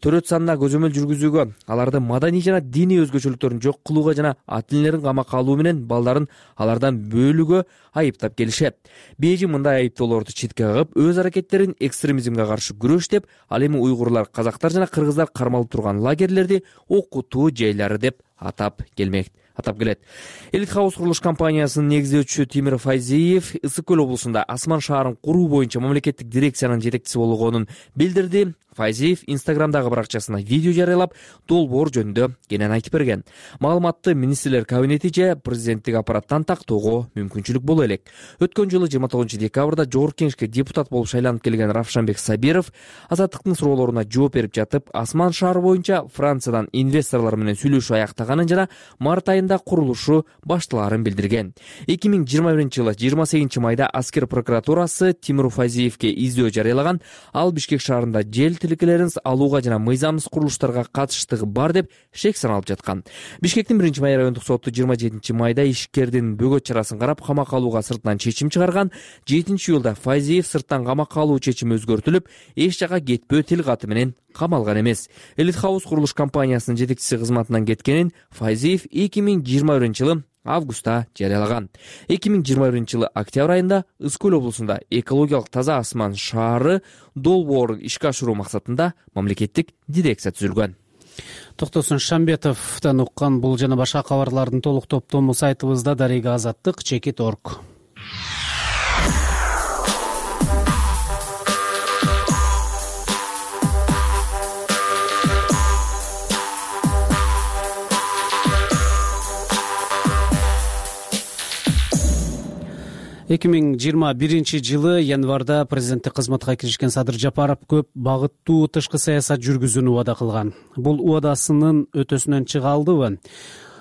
төрөт санына көзөмөл жүргүзүүгө, алардын маданий жана диний өзгөчөлүктөрүн жок кылууга жана ата энелерин камакка алуу менен балдарын алардан бөлүүгө айыптап келишет. Бейжиң мындай айыптоолорду четке кагып, өз аракеттерин экстремизмге каршы күрөш деп, ал эми уйгурлар, казактар жана кыргыздар кармалып турган лагерлерди окутуу жайлары деп атап келмек. атап келет. Элит Хаус курулуш компаниясынын негиздөөчүсү Тимир Файзиев Ысык көл облусунда Асман шаарын куруу боюнча мамлекеттик дирекциянын жетекчиси болгонун билдирди. Файзиев Инстаграмдагы баракчасына видео жарыялап, долбоор жөнүндө кенен айтып берген. Маалыматты министрлер кабинети же президенттик аппараттан тактоого мүмкүнчүлүк боло элек. Өткөн жылы жыйырма тогузунчу декабрда жогорку кеңешке депутат болуп шайланып келген Равшанбек Сабиров Азаттыктын суроолоруна жооп берип жатып, Асман шаары боюнча Франциядан инвесторлор менен сүйлөшүү аяктаганын жана март айында курулушу башталарын билдирген. эки миң жыйырма биринчи жылы жыйырма сегизинчи майда аскер прокуратурасы Тимир Файзиевке издөө жарыялаган. Ал Бишкек шаарында жел тилкелерин алууга жана мыйзамсыз курулуштарга катыштыгы бар деп шек саналып жаткан. Бишкектин биринчи май райондук соту жыйырма жетинчи майда ишкердин бөгөт чарасын карап камакка алууга сыртынан чечим чыгарган. жетинчи июлда Файзиев сырттан камакка алуу чечими өзгөртүлүп, эч жака кетпөө тил каты менен камалган эмес. Элит Хаус курулуш компаниясынын жетекчиси кызматынан кеткенин Файзиев эки миң жыйырма биринчи жылы августта жарыялаган. эки миң жыйырма биринчи жылы октябрь айында Ысык көл облусунда экологиялык таза Асман шаары долбоорун ишке ашыруу максатында мамлекеттик дирекция түзүлгөн. Токтосун Шамбетовдон уккан бул жана башка кабарлардын толук топтому сайтыбызда дарега азаттык чекит точка орг. эки миң жыйырма биринчи жылы январда президенттик кызматка киришкен Садыр Жапаров көп багыттуу тышкы саясат жүргүзүүнү убада кылган. Бул убадасынын өтөсүнөн чыга алдыбы?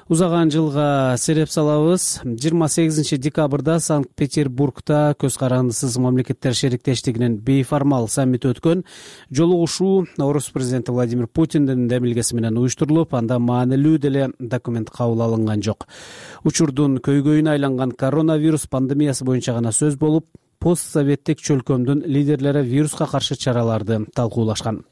Узаган жылга сереп салабыз. жыйырма сегизинчи декабрда Санкт-Петербургда көз карандысыз мамлекеттер шериктештигинин бейформал саммити өткөн. Жолугушуу Орус президенти Владимир Путиндин демилгеси менен уюштурулуп, анда маанилүү деле документ кабыл алынган жок. Учурдун көйгөйүнө айланган коронавирус пандемиясы боюнча гана сөз болуп, постсоветтик чөлкөмдүн лидерлери вируска каршы чараларды талкуулашкан.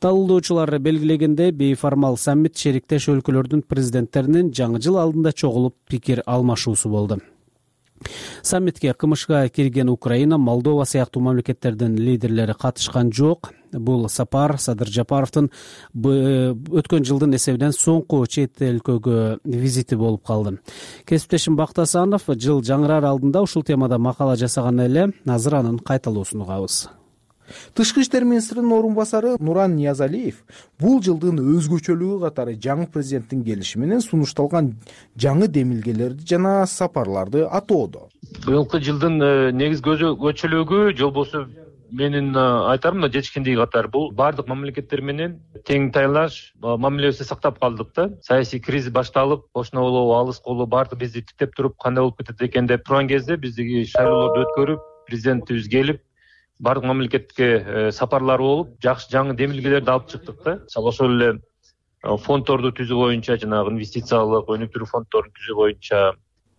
Талкуулоочулар белгилегендей, бейформал саммит шериктеш өлкөлөрдүн президенттеринин жаңы жыл алдында чогулуп пикир алмашуусу болду. Саммитке КМШга кирген Украина, Молдова сыяктуу мамлекеттердин лидерлери катышкан жок. Бул сапар Садыр Жапаровдун өткөн жылдын эсебинен соңку чет өлкөгө визити болуп калды. Кесиптешим Бактасанов жыл жаңыраар алдында ушул темада макала жасаган эле. Азыр анын кайталоосун угабыз. Тышкы иштер министринин орун басары Нуран Ниязалиев бул жылдын өзгөчөлүгү катары жаңы президенттин келиши менен сунушталган жаңы демилгелерди жана сапарларды атоодо. Быйылкы жылдын негизги өзгөчөлүгү жолбосу менин айтарым мына жетишкендиги катары бул баардык мамлекеттер менен тең тайлаш мамилебизди сактап калдык да. Саясий кризис башталып, кошуна болобу, алыс болобу баардык бизди тиктеп туруп кандай болуп кетет экен деп турган кезде биздиги шайлоолорду өткөрүп, президентибиз келип, баардык мамлекетке сапарлар болуп, жакшы жаңы демилгелерди алып чыктык да. Мисалы ошол эле фонддорду түзүү боюнча, жанагы инвестициялык өнүктүрүү фонддорун түзүү боюнча.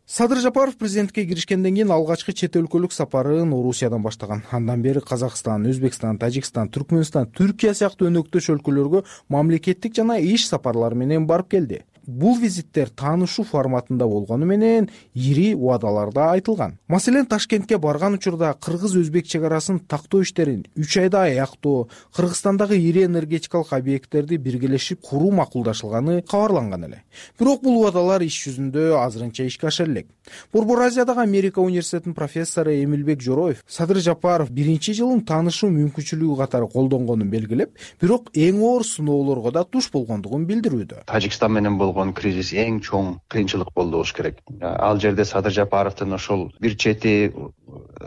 Садыр Жапаров президентке киришкенден кийин алгачкы чет өлкөлүк сапарын Орусиядан баштаган. Андан бери Казакстан, Өзбекстан, Тажикстан, Түркмөнстан, Түркия сыяктуу өнөктөш өлкөлөргө мамлекеттик жана иш сапарлары менен барып келди. Бул визиттер таанышуу форматында болгону менен ири убадаларда айтылган. Маселен, Ташкентке барган учурда кыргыз-өзбек чек арасын тактоо иштерин үч айда аяктоо, Кыргызстандагы ири энергетикалык объекттерди биргелешип куруу макулдашылганы кабарланган эле. Бирок бул убадалар иш жүзүндө азырынча ишке аша элек. Борбор Азиядагы Америка университетинин профессору Эмилбек Жороев Садыр Жапаров биринчи жылын таанышуу мүмкүнчүлүгү катары колдонгонун белгилеп, бирок эң оор сыноолорго да туш болгондугун билдирүүдө. Тажикстан менен болгон болгон кризис эң чоң кыйынчылык болду болуш керек. Ал жерде Садыр Жапаровдун ошол бир чети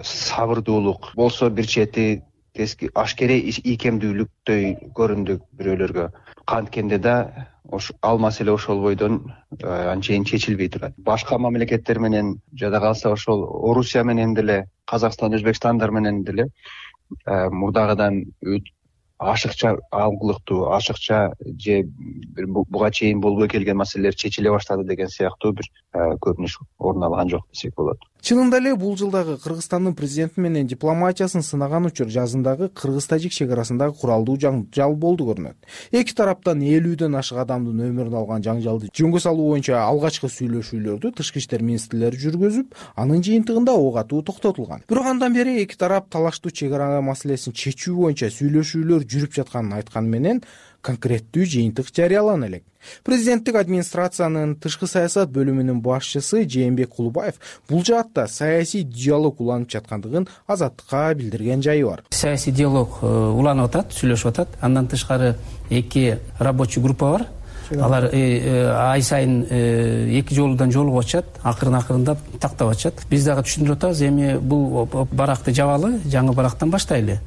сабырдуулук болсо, бир чети ашкере ийкемдүүлүктөй көрүндү бирөөлөргө. Канткенде да ал маселе ошол бойдон анчейин чечилбей турат. Башка мамлекеттер менен, жада калса ошол Орусия менен деле, Казакстан, Өзбекстандар менен деле мурдагыдан ашыкча алгылыктуу, ашыкча же буга чейин болбой келген маселелер чечиле баштады деген сыяктуу бир көрүнүш орун алган жок десек болот. Чынында эле бул жылдагы Кыргызстандын президенти менен дипломатиясын сынаган учур жазындагы кыргыз-тажик чек арасындагы куралдуу жаңжал болду көрүнөт. Эки тараптан элүүдөн ашык адамдын өмүрүн алган жаңжалды жөнгө салуу боюнча алгачкы сүйлөшүүлөрдү тышкы иштер министрлери жүргүзүп, анын жыйынтыгында ок атуу токтотулган. Бирок андан бери эки тарап талаштуу чек ара маселесин чечүү боюнча сүйлөшүүлөр жүрүп жатканын айтканы менен конкреттүү жыйынтык жарыялана элек. Президенттик администрациянын тышкы саясат бөлүмүнүн башчысы Жээнбек Кулубаев бул жаатта саясий диалог уланып жаткандыгын Азаттыкка билдирген жайы бар. Саясий диалог уланып атат, сүйлөшүп атат. Андан тышкары эки рабочий группа бар. Алар ай сайын эки жолудан жолугуп атышат, акырын акырындап тактап атышат. Биз дагы түшүндүрүп атабыз, эми бул баракты жабалы, жаңы барактан баштайлы.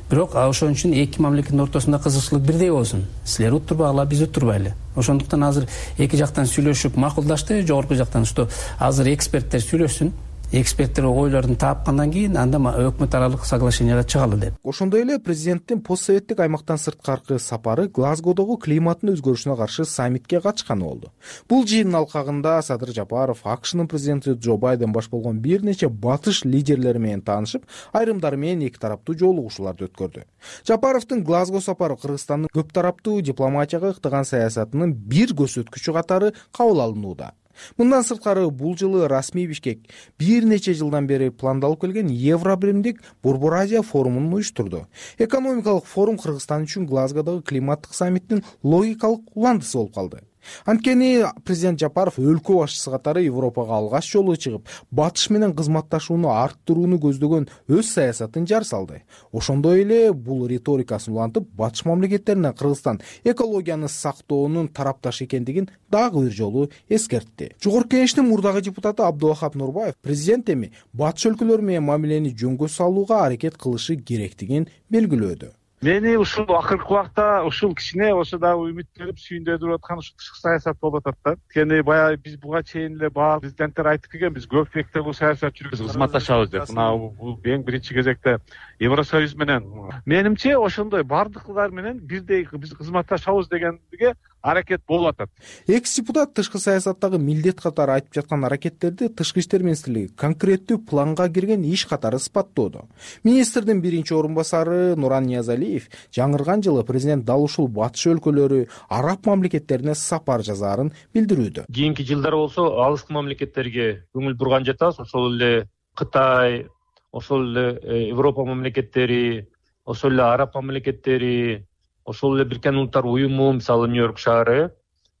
Бирок ошон үчүн эки мамлекеттин ортосунда кызыкчылык бирдей болсун. Силер уттурбагыла, биз уттурбайлы. Ошондуктан азыр эки жактан сүйлөшүп макулдашты, жогорку жактан что азыр эксперттер сүйлөшсүн. Эксперттер ойлорун таапкандан кийин анда өкмөт аралык соглашенияга чыгалы деп. Ошондой эле президенттин постсоветтик аймактан сырткаркы сапары Глазгодогу климаттын өзгөрүшүнө каршы саммитке катышканы болду. Бул жыйындын алкагында Садыр Жапаров АКШнын президенти Джо Байден баш болгон бир нече батыш лидерлери менен таанышып, айрымдары менен эки тараптуу жолугушууларды өткөрдү. Жапаровдун Глазго сапары Кыргызстандын көп тараптуу дипломатияга ыктаган саясатынын бир көрсөткүчү катары кабыл алынууда. Мындан сырткары бул жылы расмий Бишкек бир нече жылдан бери пландалып келген Евробиримдик Борбор Азия форумун уюштурду. Экономикалык форум Кыргызстан үчүн Глазгодогу климаттык саммиттин логикалык уландысы болуп калды. Анткени президент Жапаров өлкө башчысы катары Европага алгач жолу чыгып, батыш менен кызматташууну арттырууну көздөгөн өз саясатын жар салды. Ошондой эле бул риторикасын улантып, батыш мамлекеттерине Кыргызстан экологияны сактоонун тарапташ экендигин дагы бир жолу эскертти. Жогорку Кеңештин мурдагы депутаты Абдулахап Нурбаев президент эми батыш өлкөлөр менен мамилени жөнгө салууга аракет кылышы керектигин белгилөөдө. Мени ушул акыркы убакта ушул кичине болсо дагы үмүттөнүп сүйүндөрүп аткан ушул тышкы саясат болуп атат да. Анткени баягы биз буга чейин эле баары президенттер айтып келген, биз көп мектеп саясат жүргүзүп кызматташабыз деп. Мына бул эң биринчи кезекте Евросоюз менен. Менимче ошондой бардыклар менен бирдей биз кызматташабыз дегенге аракет болуп атат. Экс депутат тышкы саясаттагы милдет катары айтып жаткан аракеттерди тышкы иштер министрлиги конкреттүү планга кирген иш катары сыпаттоодо. Министрдин биринчи орун басары Нуран Ниязалиев жаңырган жылы президент дал ушул батыш өлкөлөрү, араб мамлекеттерине сапар жазаарын билдирүүдө. Кийинки жылдары болсо алыскы мамлекеттерге көңүл бурган жатабыз. Ошол эле Кытай, ошол эле Европа мамлекеттери, ошол эле араб мамлекеттери, ошол эле Бириккен Улуттар уюму, мисалы Нью-Йорк шаары,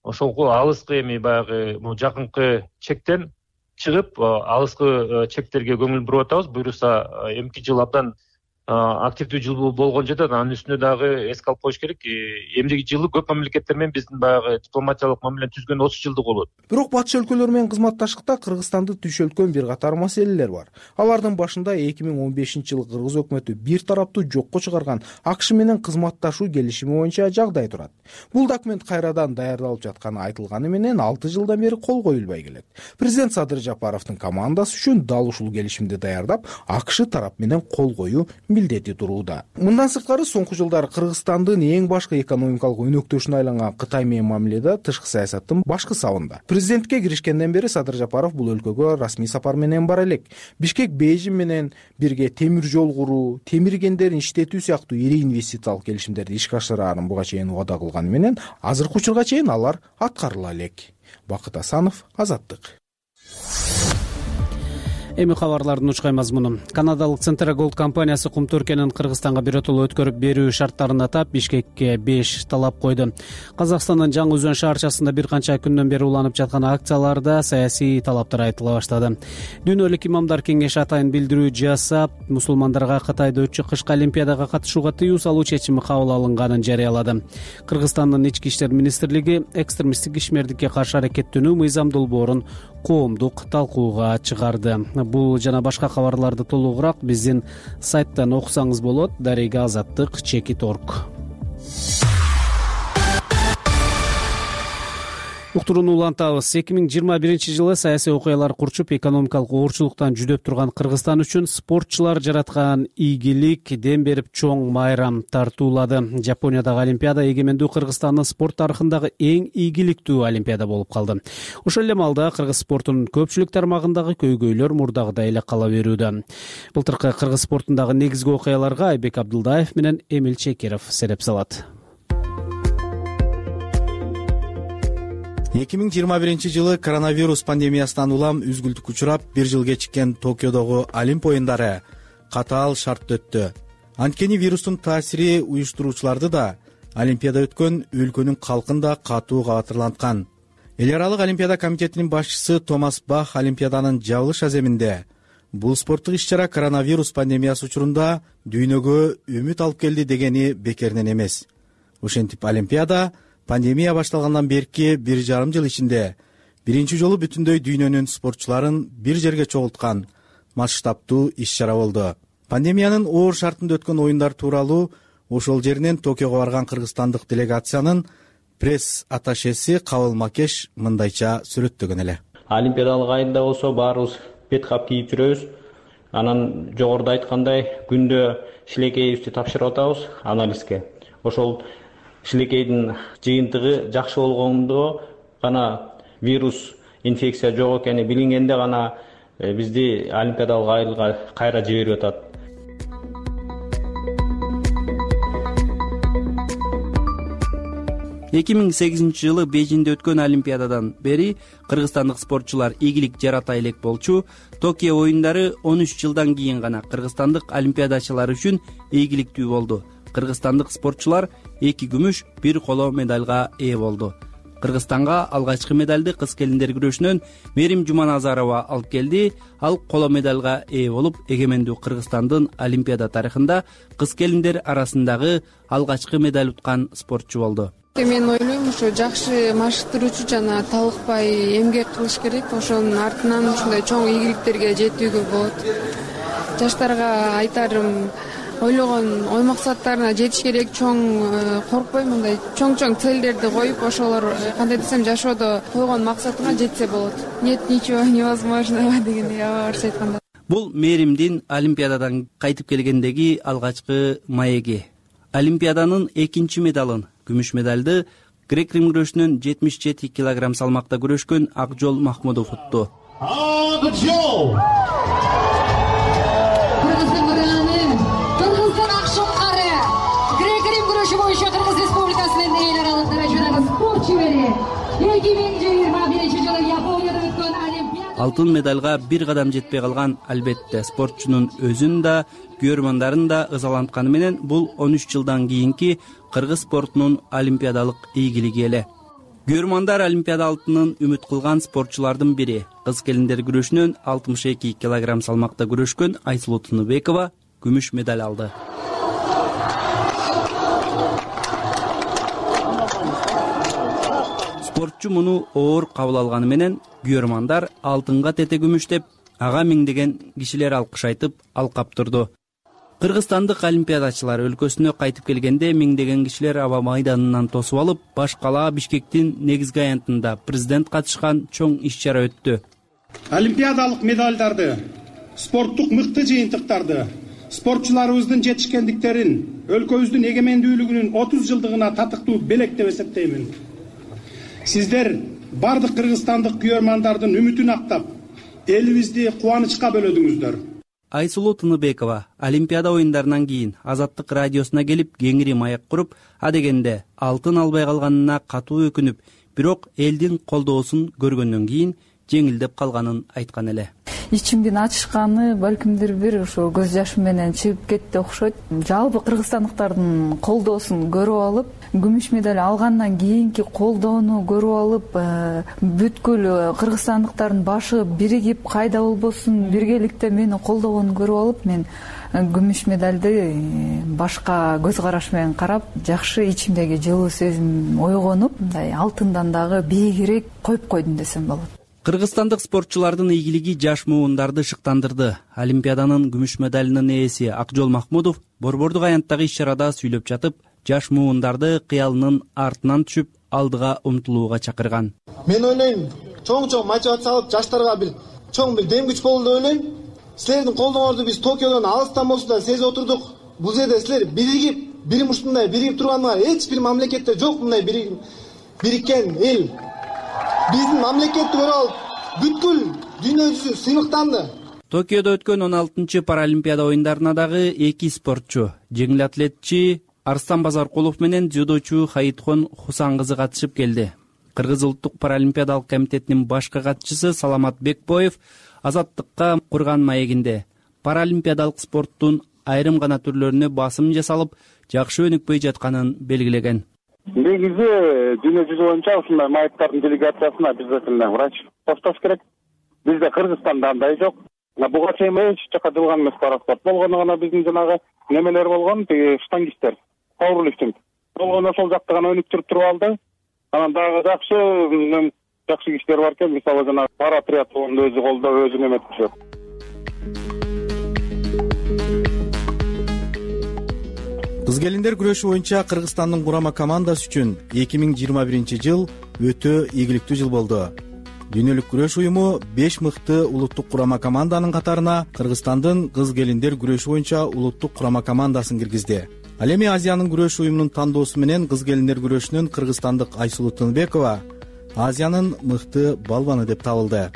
ошол алыскы эми баягы жакынкы чектен чыгып, алыскы чектерге көңүл буруп атабыз. Буюрса эмки жыл абдан активдүү жыл болгон жатат. Анын үстүнө дагы эске алып коюш керек. Эмдиги жылы көп мамлекеттер менен биздин баягы дипломатиялык мамилени түзгөн отуз жылдык болот. Бирок батыш өлкөлөр менен кызматташтыкта Кыргызстанды түйшөлткөн бир катар маселелер бар. Алардын башында эки миң он бешинчи жылы Кыргыз өкмөтү бир тараптуу жокко чыгарган АКШ менен кызматташуу келишими боюнча жагдай турат. Бул документ кайрадан даярдалып жатканы айтылганы менен алты жылдан бери кол коюлбай келет. Президент Садыр Жапаровдун командасы үчүн дал ушул келишимди даярдап, АКШ тарап менен кол коюу милдети турууда. Мындан сырткары соңку жылдары Кыргызстандын эң башкы экономикалык өнөктөшүнө айланган Кытай менен мамиледе тышкы саясаттын башкы сабында. Президентке киришкенден бери Садыр Жапаров бул өлкөгө расмий сапар менен бара элек. Бишкек Бейжин менен бирге темир жол куруу, темир кендерин иштетүү сыяктуу ири инвестициялык келишимдерди ишке ашыраарын буга чейин убада кылганы менен азыркы учурга чейин алар аткарыла элек. Бакыт Асанов, Азаттык. Эми кабарлардын учкай мазмуну. Канадалык Центра Голд компаниясы кумту өлкөнүн Кыргызстанга биротоло өткөрүп берүү шарттарын атап, Бишкекке беш талап койду. Казакстандын Жаңы Өзөн шаарчасында бир канча күндөн бери уланып жаткан акцияларда саясий талаптар айтыла баштады. Дүйнөлүк имамдар кеңеши атайын билдирүү жасап, мусулмандарга Кытайда өтчү кышкы олимпиадага катышууга тыюу салуу чечими кабыл алынганын жарыялады. Кыргызстандын ички иштер министрлиги экстремисттик ишмердикке каршы аракеттенүү мыйзам долбоорун коомдук талкууга чыгарды. Бул жана башка кабарларды толугураак биздин сайттан окусаңыз болот. Дарега азаттык чекит точка орг. Уктурууну улантабыз. эки миң жыйырма биринчи жылы саясий окуялар курчуп, экономикалык оорчулуктан жүдөп турган Кыргызстан үчүн спортчулар жараткан ийгилик дем берип чоң майрам тартуулады. Жапониядагы олимпиада эгемендүү Кыргызстандын спорт тарыхындагы эң ийгиликтүү олимпиада болуп калды. Ошол эле маалда кыргыз спортунун көпчүлүк тармагындагы көйгөйлөр мурдагыдай эле кала берүүдө. Былтыркы кыргыз спортундагы негизги окуяларга Айбек Абдылдаев менен Эмил Чекиров сереп салат. эки миң жыйырма биринчи жылы коронавирус пандемиясынан улам үзгүлтүккө учурап, бир жыл кечиккен Токиодогу Олимп оюндары катаал шартта өттү. Анткени вирустун таасири уюштуруучуларды да, Олимпиада өткөн өлкөнүн калкын да катуу кабатырланткан. Эл аралык Олимпиада комитетинин башчысы Томас Бах Олимпиаданын жабылыш аземинде бул спорттук иш-чара коронавирус пандемиясы учурунда дүйнөгө үмүт алып келди дегени бекеринен эмес. Ошентип Олимпиада пандемия башталгандан берки бир жарым жыл ичинде биринчи жолу бүтүндөй дүйнөнүн спортчуларын бир жерге чогулткан масштабтуу иш-чара болду. Пандемиянын оор шартында өткөн оюндар тууралуу ошол жеринен Токиого барган кыргызстандык делегациянын пресс-атташеси Кабыл Макеш мындайча сүрөттөгөн эле. Олимпиадалык айында болсо баарыбыз бет кап кийип жүрөбүз. Анан жогоруда айткандай күндө шилекейибизди тапшырып атабыз анализге. Ошол шилекейдин жыйынтыгы жакшы болгондо гана вирус инфекция жок экени билингенде гана бизди олимпиадалык айылга кайра жиберип атат. эки миң сегизинчи жылы Бейжиңде өткөн олимпиададан бери кыргызстандык спортчулар ийгилик жарата элек болчу. Токио оюндары он үч жылдан кийин гана кыргызстандык олимпиадачылар үчүн ийгиликтүү болду. Кыргызстандык спортчулар эки күмүш, бир коло медалга ээ болду. Кыргызстанга алгачкы медалды кыз келиндер күрөшүнөн Мерим Жуманазарова алып келди. Ал коло медалга ээ болуп, эгемендүү Кыргызстандын олимпиада тарыхында кыз келиндер арасындагы алгачкы медаль уткан спортчу болду. Мен ойлойм, ошо жакшы машыктыруучу жана талыкпай эмгек кылыш керек. Ошонун артынан ушундай чоң ийгиликтерге жетүүгө болот. Жаштарга айтарым, ойлогон ой максаттарына жетиш керек, чоң коркпой мындай чоң-чоң целдерди коюп, ошолор кандай десем жашоодо койгон максатына жетсе болот. Нет ничего невозможного дегендей абарча айтканда. Бул Меримдин олимпиададан кайтып келгендеги алгачкы маеги. Олимпиаданын экинчи медалын, күмүш медалды грек-рим күрөшүнөн жетимиш жети килограмм салмакта күрөшкөн Акжол Махмудов утту. Акжол алтын медалга бир кадам жетпей калган албетте спортчунун өзүн да, күйөрмандарын да ызалантканы менен бул он үч жылдан кийинки кыргыз спортунун олимпиадалык ийгилиги эле. Күйөрмандар олимпиада алтынын үмүт кылган спортчулардын бири. Кыз келиндер күрөшүнөн алтымыш эки килограмм салмакта күрөшкөн Айсулуу Тыныбекова күмүш медаль алды. Спортчу муну оор кабыл алганы менен күйөрмандар алтынга тете күмүш деп ага миңдеген кишилер алкыш айтып алкап турду. Кыргызстандык олимпиадачылар өлкөсүнө кайтып келгенде миңдеген кишилер аба майданынан тосуп алып, баш кала Бишкектин негизги аянтында президент катышкан чоң иш-чара өттү. Олимпиадалык медалдарды, спорттук мыкты жыйынтыктарды, спортчуларыбыздын жетишкендиктерин өлкөбүздүн эгемендүүлүгүнүн отуз жылдыгына татыктуу белек деп эсептеймин. Сиздер бардык кыргызстандык күйөрмандардын үмүтүн актап, элибизди кубанычка бөлөдүңүздөр. Айсулуу Тыныбекова Олимпиада оюндарынан кийин Азаттык радиосуна келип кеңири маек куруп, адегенде алтын албай калганына катуу өкүнүп, бирок элдин колдоосун көргөндөн кийин жеңилдеп калганын айткан эле. ичимдин ачышканы балкимдир бир ошо көз жашым менен чыгып кетти окшойт. Жалпы кыргызстандыктардын колдоосун көрүп алып, күмүш медаль алгандан кийинки колдоону көрүп алып, бүткүл кыргызстандыктардын башы биригип, кайда болбосун биргеликте мени колдогонун көрүп алып, мен күмүш медальды башка көз караш менен карап, жакшы ичимдеги жылуу сезим ойгонуп, мындай алтындан дагы бийигирээк коюп койдум десем болот. Кыргызстандык спортчулардын ийгилиги жаш муундарды шыктандырды. Олимпиаданын күмүш медалынын ээси Акжол Махмудов борбордук аянттагы иш-чарада сүйлөп жатып, жаш муундарды кыялынын артынан түшүп, алдыга умтулууга чакырган. Мен ойлойм, чоң-чоң мотивация алып, жаштарга бир чоң бир дем күч болду деп ойлойм. Силердин колдооңорду биз Токиодон алыстан болсо да сезип отурдук. Бул жерде силер биригип, бир ушундай биригип турганыңар эч бир мамлекетте жок, мындай бириккен эл. Биздин мамлекетти көрүп алып, бүткүл дүйнө жүзү сыймыктанды. Токиодо өткөн он алтынчы паралимпиада оюндарына дагы эки спортчу, жеңил атлетчи Арстан Базаркулов менен дзюдочу Хаитхон Хусан кызы катышып келди. Кыргыз улуттук паралимпиадалык комитетинин башкы катчысы Саламат Бекбоев азаттыкка курган маегинде паралимпиадалык спорттун айрым гана түрлөрүнө басым жасалып, жакшы өнүкпөй жатканын белгилеген. Негизи дүйнө жүзү боюнча ушундай маектардын делегациясына обязательно врач коштош керек. Бизде Кыргызстанда андай жок. Буга чейин эч жака жылган эмес параспорт болгону гана биздин жанагы немелер болгон, тиги штангисттер, пауэрлифтинг. Болгону ошол жакты гана өнүктүрүп туруп алды. Анан дагы жакшы жакшы кишилер бар экен, мисалы жана пара триатлонду өзү колдоп, өзү неметип жүрөт. Кыз келиндер күрөшү боюнча Кыргызстандын курама командасы үчүн эки миң жыйырма биринчи жыл өтө ийгиликтүү жыл болду. Дүйнөлүк күрөш уюму беш мыкты улуттук курама команданын катарына Кыргызстандын кыз келиндер күрөшү боюнча улуттук курама командасын киргизди. Ал эми Азиянын күрөш уюмунун тандоосу менен кыз келиндер күрөшүнүн кыргызстандык Айсулуу Тынбекова Азиянын мыкты балбаны деп табылды.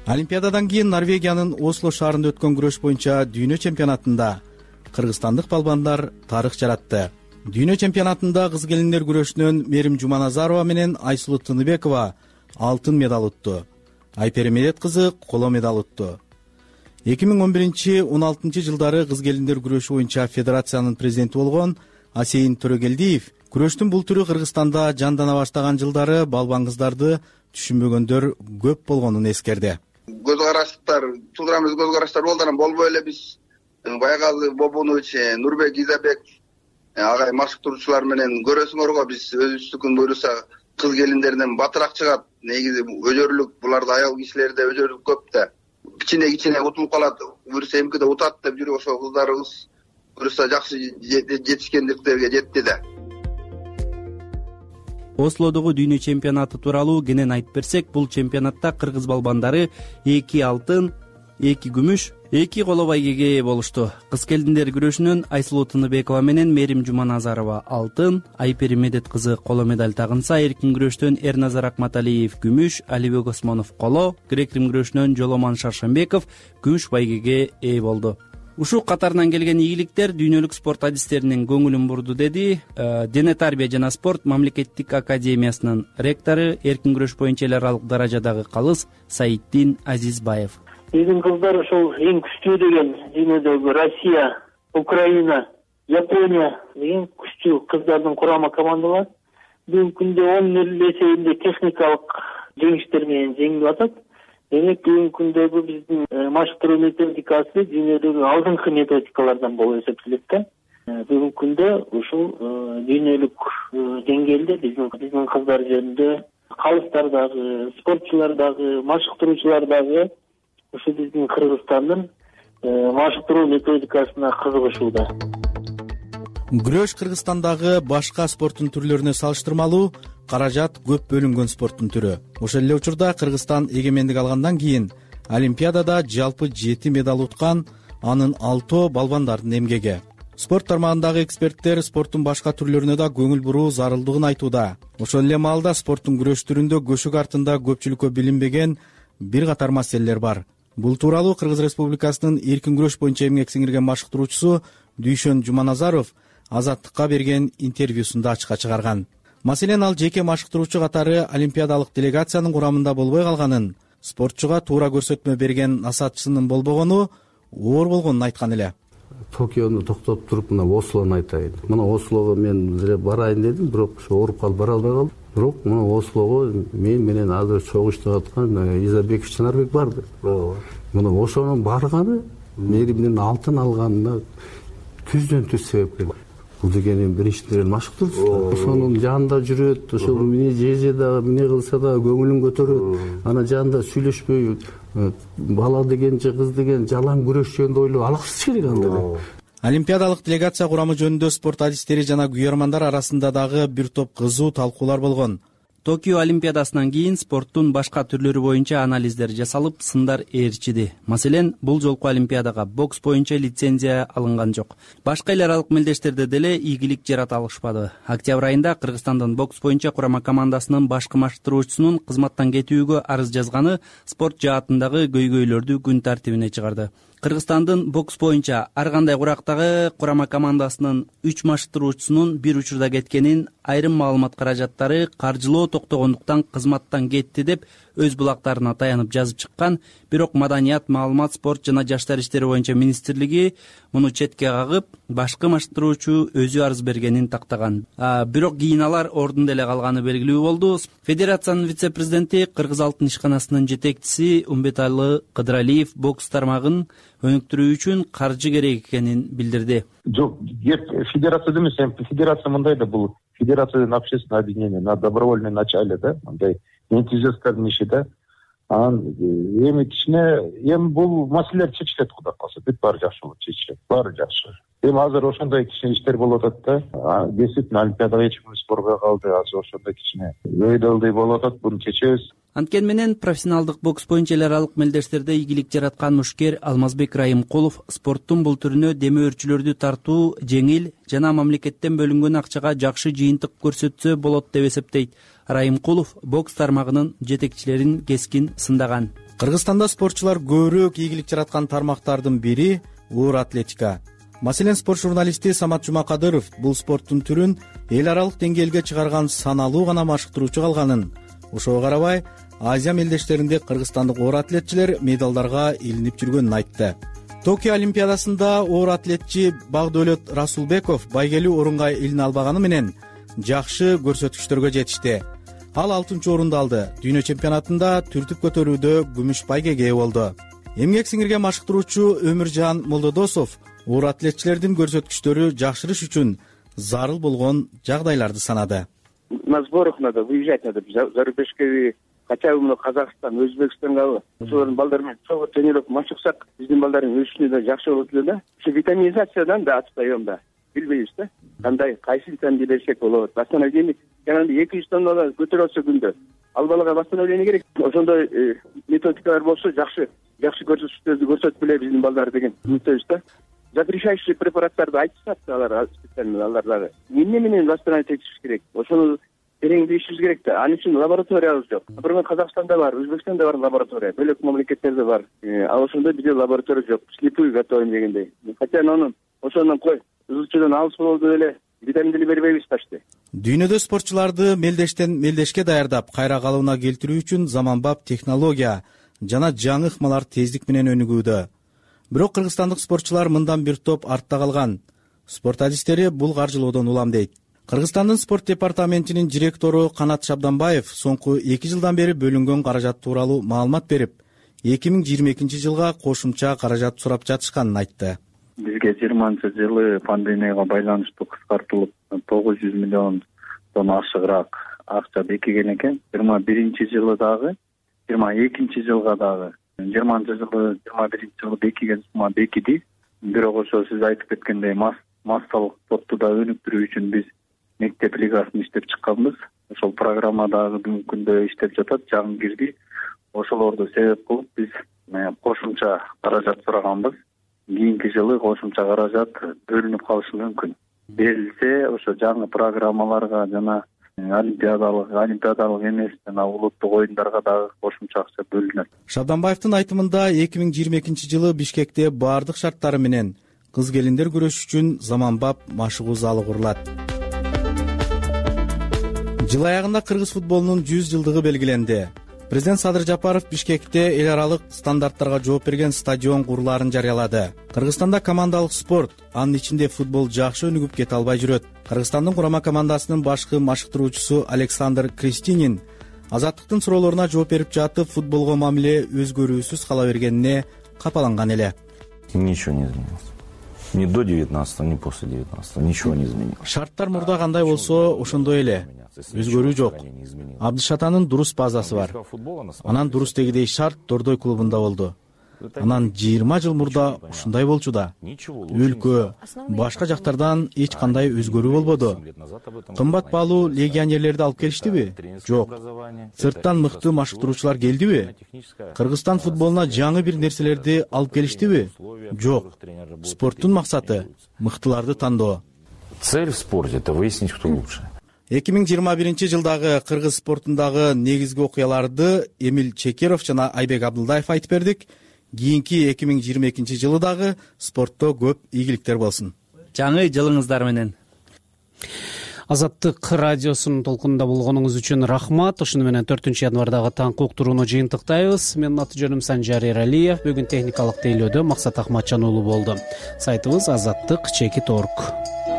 Олимпиададан кийин Норвегиянын Осло шаарында өткөн күрөш боюнча дүйнө чемпионатында кыргызстандык балбандар тарых жаратты. Дүйнө чемпионатында кыз келиндер күрөшүнөн Мерим Жуманазарова менен Айсулуу Тыныбекова алтын медаль утту. Айпери Медет кызы коло медаль утту. эки миң он биринчи он алтынчы жылдары кыз келиндер күрөшү боюнча федерациянын президенти болгон Асейин Төрөгелдиев күрөштүн бул түрү Кыргызстанда жандана баштаган жылдары балбан кыздарды түшүнбөгөндөр көп болгонун эскерди. Көз караштар, туура эмес көз караштар болду, анан болбой эле биз Байгалы Бобунович, Нурбек Изабек агай машыктыруучулар менен көрөсүңөр го, биз өзүбүздүкүн буйруса кыз келиндерден батыраак чыгат. Негизи өжөрлүк, буларда аял кишилерде өжөрлүк көп да. Кичине кичине утулуп калат, буйруса эмкиде утат деп жүрүп ошол кыздарыбыз буйруса жакшы жетишкендиктерге жетти да. Ослодогу дүйнө чемпионаты тууралуу кенен айтып берсек, бул чемпионатта кыргыз балбандары эки алтын, эки күмүш, эки коло байгеге ээ болушту. Кыз келиндер күрөшүнөн Айсулуу Тыныбекова менен Мерим Жуманазарова алтын, Айпери Медет кызы коло медаль тагынса, эркин күрөштөн Эрназар Акматалиев күмүш, Алибек Осмонов коло, грек-рим күрөшүнөн Жоломан Шаршембеков күмүш байгеге ээ болду. Ушул катарынан келген ийгиликтер дүйнөлүк спорт адистеринин көңүлүн бурду, деди Дене тарбия жана спорт мамлекеттик академиясынын ректору, эркин күрөш боюнча эл аралык даражадагы калыс Саиддин Азизбаев. Биздин кыздар ошол эң күчтүү деген дүйнөдөгү Россия, Украина, Япония эң күчтүү кыздардын курама командалары. Бүгүнкү күндө он нөл эсебинде техникалык жеңиштер менен жеңип атат. Демек бүгүнкү күндөгү биздин машыктыруу методикасы дүйнөдөгү алдыңкы методикалардан болуп эсептелет да. Бүгүнкү күндө ушул дүйнөлүк деңгээлде биздин биздин кыздар жөнүндө калыстар дагы, спортчулар дагы, машыктыруучулар дагы ушу биздин Кыргызстандын машыктыруу методикасына кызыгышууда. Күрөш Кыргызстандагы башка спорттун түрлөрүнө салыштырмалуу каражат көп бөлүнгөн спорттун түрү. Ошол эле учурда Кыргызстан эгемендик алгандан кийин Олимпиадада жалпы жети медаль уткан, анын алтоо балбандардын эмгеги. Спорт тармагындагы эксперттер спорттун башка түрлөрүнө да көңүл буруу зарылдыгын айтууда. Ошол эле маалда спорттун күрөш түрүндө көшүк артында көпчүлүккө билинбеген бир катар маселелер бар. Бул тууралуу Кыргыз Республикасынын эркин күрөш боюнча эмгек сиңирген машыктыруучусу Дүйшөн Жуманазаров Азаттыкка берген интервьюсунда ачыкка чыгарган. Маселен, ал жеке машыктыруучу катары олимпиадалык делегациянын курамында болбой калганын, спортчуга туура көрсөтмө берген насаатчысынын болбогону оор болгонун айткан эле. Токиону токтоп туруп мына Ослону айтайын. Мына Ослого мен деле барайын дедим, бирок ошо ооруп калып бара албай калдым. Бирок мына Ослого мен менен азыр чогуу иштеп аткан Изабеков Чынарбек барды. Мына ошонун барганы мээримдин алтын алганына түздөн түз себепкер. Бул деген эми биринчиден эле машыктырчу. Ошонун жанында жүрөт, ошол эмне жеже да, эмне кылса да көңүлүн көтөрөт. Ана жанында сүйлөшпөй, бала деген же кыз деген жалаң күрөш жөнүндө ойлоп алаксыз керек анда. Олимпиадалык делегация курамы жөнүндө спорт адистери жана күйөрмандар арасында дагы бир топ кызуу талкуулар болгон. Токио Олимпиадасынан кийин спорттун башка түрлөрү боюнча анализдер жасалып, сындар ээрчиди. Маселен, бул жолку Олимпиадага бокс боюнча лицензия алынган жок. Башка эл аралык мелдештерде деле ийгилик жарата алышпады. Октябрь айында Кыргызстандын бокс боюнча курама командасынын башкы машыктыруучусунун кызматтан кетүүгө арыз жазганы спорт жаатындагы көйгөйлөрдү күн тартибине чыгарды. Кыргызстандын бокс боюнча ар кандай курактагы курама командасынын үч машыктыруучусунун бир учурда кеткенин, айрым маалымат каражаттары каржылоо токтогондуктан кызматтан кетти деп өз булактарына таянып жазып чыккан. Бирок Маданият, маалымат, спорт жана жаштар иштери боюнча министрлиги муну четке кагып, башкы машыктыруучу өзү арыз бергенин тактаган. Бирок кийин алар ордунда эле калганы белгилүү болду. Федерациянын вице-президенти, Кыргыз алтын ишканасынын жетекчиси Умбеталы Кыдыралиев бокс тармагын өнүктүрүү үчүн каржы керек экенин билдирди. Жок, федерация эмес, федерация мындай да, бул федерациянын общественное объединение на добровольной начале да, мындай энтузиасттардын иши да. Анан эми кичине эми бул маселелер чечилет, кудай калса, бүт баары жакшы болот, чечилет, баары жакшы. Эми азыр ошондой кичине иштер болуп атат да. Действительно Олимпиадага эч кимибиз барбай калды, азыр ошондой кичине өйдөлдөй болуп атат, буну чечебиз. Анткени менен профессионалдык бокс боюнча эл аралык мелдештерде ийгилик жараткан мушкер Алмазбек Райымкулов спорттун бул түрүнө демөөрчүлөрдү тартуу жеңил жана мамлекеттен бөлүнгөн акчага жакшы жыйынтык көрсөтсө болот деп эсептейт. Райымкулов бокс тармагынын жетекчилерин кескин сындаган. Кыргызстанда спортчулар көбүрөөк ийгилик жараткан тармактардын бири оор атлетика. Маселен, спорт журналисти Самат Жумакадыров бул спорттун түрүн эл аралык деңгээлге чыгарган саналуу гана машыктыруучу калганын, ошого карабай Азия мелдештеринде кыргызстандык оор атлетчилер медалдарга илинип жүргөнүн айтты. Токио Олимпиадасында оор атлетчи Багдөлөт Расулбеков байгелүү орунга илине албаганы менен жакшы көрсөткүчтөргө жетишти. Ал алтынчы орунду алды. Дүйнө чемпионатында түртүп көтөрүүдө күмүш байгеге ээ болду. Эмгек сиңирген машыктыруучу Өмүржан Молдодосов оор атлетчилердин көрсөткүчтөрү жакшырыш үчүн зарыл болгон жагдайларды санады. На сборах надо выезжать, надо зарубежке, хотя бы мына Казакстан, Өзбекстанга, ошолордун балдары менен чогуу тренировка машыксак, биздин балдардын өсүшүнө да жакшы болот эле да. Ошо витаминизациядан да атпайм да. Билбейбиз да. Кандай, кайсы витаминди берсек болот. Восстановление, жанагындай эки жүз тоннада көтөрүп атса күндө. Ал балага восстановление керек. Ошондой методикалар болсо жакшы, жакшы көрсөтүштөрдү көрсөтүп эле биздин балдар деген үмүттөбүз да. Запрещающий препараттарды айтышат алар специально, алар дагы эмне менен восстановить этиш керек. Ошону тереңдей ишибиз керек да. Ал үчүн лабораториябыз жок. Бирок Казакстанда бар, Өзбекстанда бар лаборатория, бөлөк мамлекеттерде бар. А ошондо бизде лаборатория жок. Слепую готовим дегендей. Хотя анын ошондон кой, ызылчуудан алыс болду эле витамин деле бербейбиз почти. Дүйнөдө спортчуларды мелдештен мелдешке даярдап, кайра калыбына келтирүү үчүн заманбап технология жана жаңы ыкмалар тездик менен өнүгүүдө. Бирок кыргызстандык спортчулар мындан бир топ артта калган. Спорт адистери бул каржылоодон улам дейт. Кыргызстандын спорт департаментинин директору Канат Шабданбаев соңку эки жылдан бери бөлүнгөн каражат тууралуу маалымат берип, эки миң жыйырма экинчи жылга кошумча каражат сурап жатышканын айтты. Бизге жыйырманчы жылы пандемияга байланыштуу кыскартылып тогуз жүз миллиондон ашыгыраак акча бекиген экен. жыйырма биринчи жылы дагы, жыйырма экинчи жылга дагы, жыйырманчы жылы, жыйырма биринчи жылы бекиген сумма бекиди. Бирок ошо сиз айтып кеткендей массалык спортту да өнүктүрүү үчүн биз мектеп лигасын иштеп чыкканбыз. Ошол программа дагы бүгүнкү күндө иштеп жатат, жаңы кирди. Ошолорду себеп кылып биз кошумча каражат сураганбыз. Кийинки жылы кошумча каражат бөлүнүп калышы мүмкүн. Берилсе, ошо жаңы программаларга жана олимпиадалык, олимпиадалык эмес жана улуттук оюндарга дагы кошумча акча бөлүнөт. Шабданбаевдин айтымында эки миң жыйырма экинчи жылы Бишкекте баардык шарттары менен кыз-келиндер күрөшү үчүн заманбап машыгуу залы курулат. Жыл аягында кыргыз футболунун жүз жылдыгы белгиленди. Президент Садыр Жапаров Бишкекте эл аралык стандарттарга жооп берген стадион курулаарын жарыялады. Кыргызстанда командалык спорт, анын ичинде футбол жакшы өнүгүп кете албай жүрөт. Кыргызстандын курама командасынын башкы машыктыруучусу Александр Кристинин Азаттыктын суроолоруна жооп берип жатып, футболго мамиле өзгөрүүсүз кала бергенине капаланган эле. Ничего не изменилось. Ни до девятнадцатого, ни после девятнадцатого. Ничего не изменилось. Шарттар мурда кандай болсо, ошондой эле. Өзгөрүү жок. Абдышатанын дурус базасы бар. Анан дурус дегидей шарт Дордой клубунда болду. Анан жыйырма жыл мурда ушундай болчу да. Өлкө, башка жактардан эч кандай өзгөрүү болбоду. Кымбат баалуу легионерлерди алып келиштиби? Жок. Сырттан мыкты машыктыруучулар келдиби? Кыргызстан футболуна жаңы бир нерселерди алып келиштиби? Жок. Спорттун максаты мыктыларды тандоо. Цель в спорте — это выяснить, кто лучше. эки миң жыйырма биринчи жылдагы кыргыз спортундагы негизги окуяларды Эмил Чекеров жана Айбек Абдылдаев айтып бердик. Кийинки эки миң жыйырма экинчи жылы дагы спортто көп ийгиликтер болсун. Жаңы жылыңыздар менен. Азаттык радиосунун толкунунда болгонуңуз үчүн рахмат. Ушуну менен төртүнчү январдагы таңкы уктурууну жыйынтыктайбыз. Менин аты жөнүм Санжар Эралиев. Бүгүн техникалык тейлөөдө Максат Ахматжан уулу болду. Сайтыбыз азаттык чекит точка орг.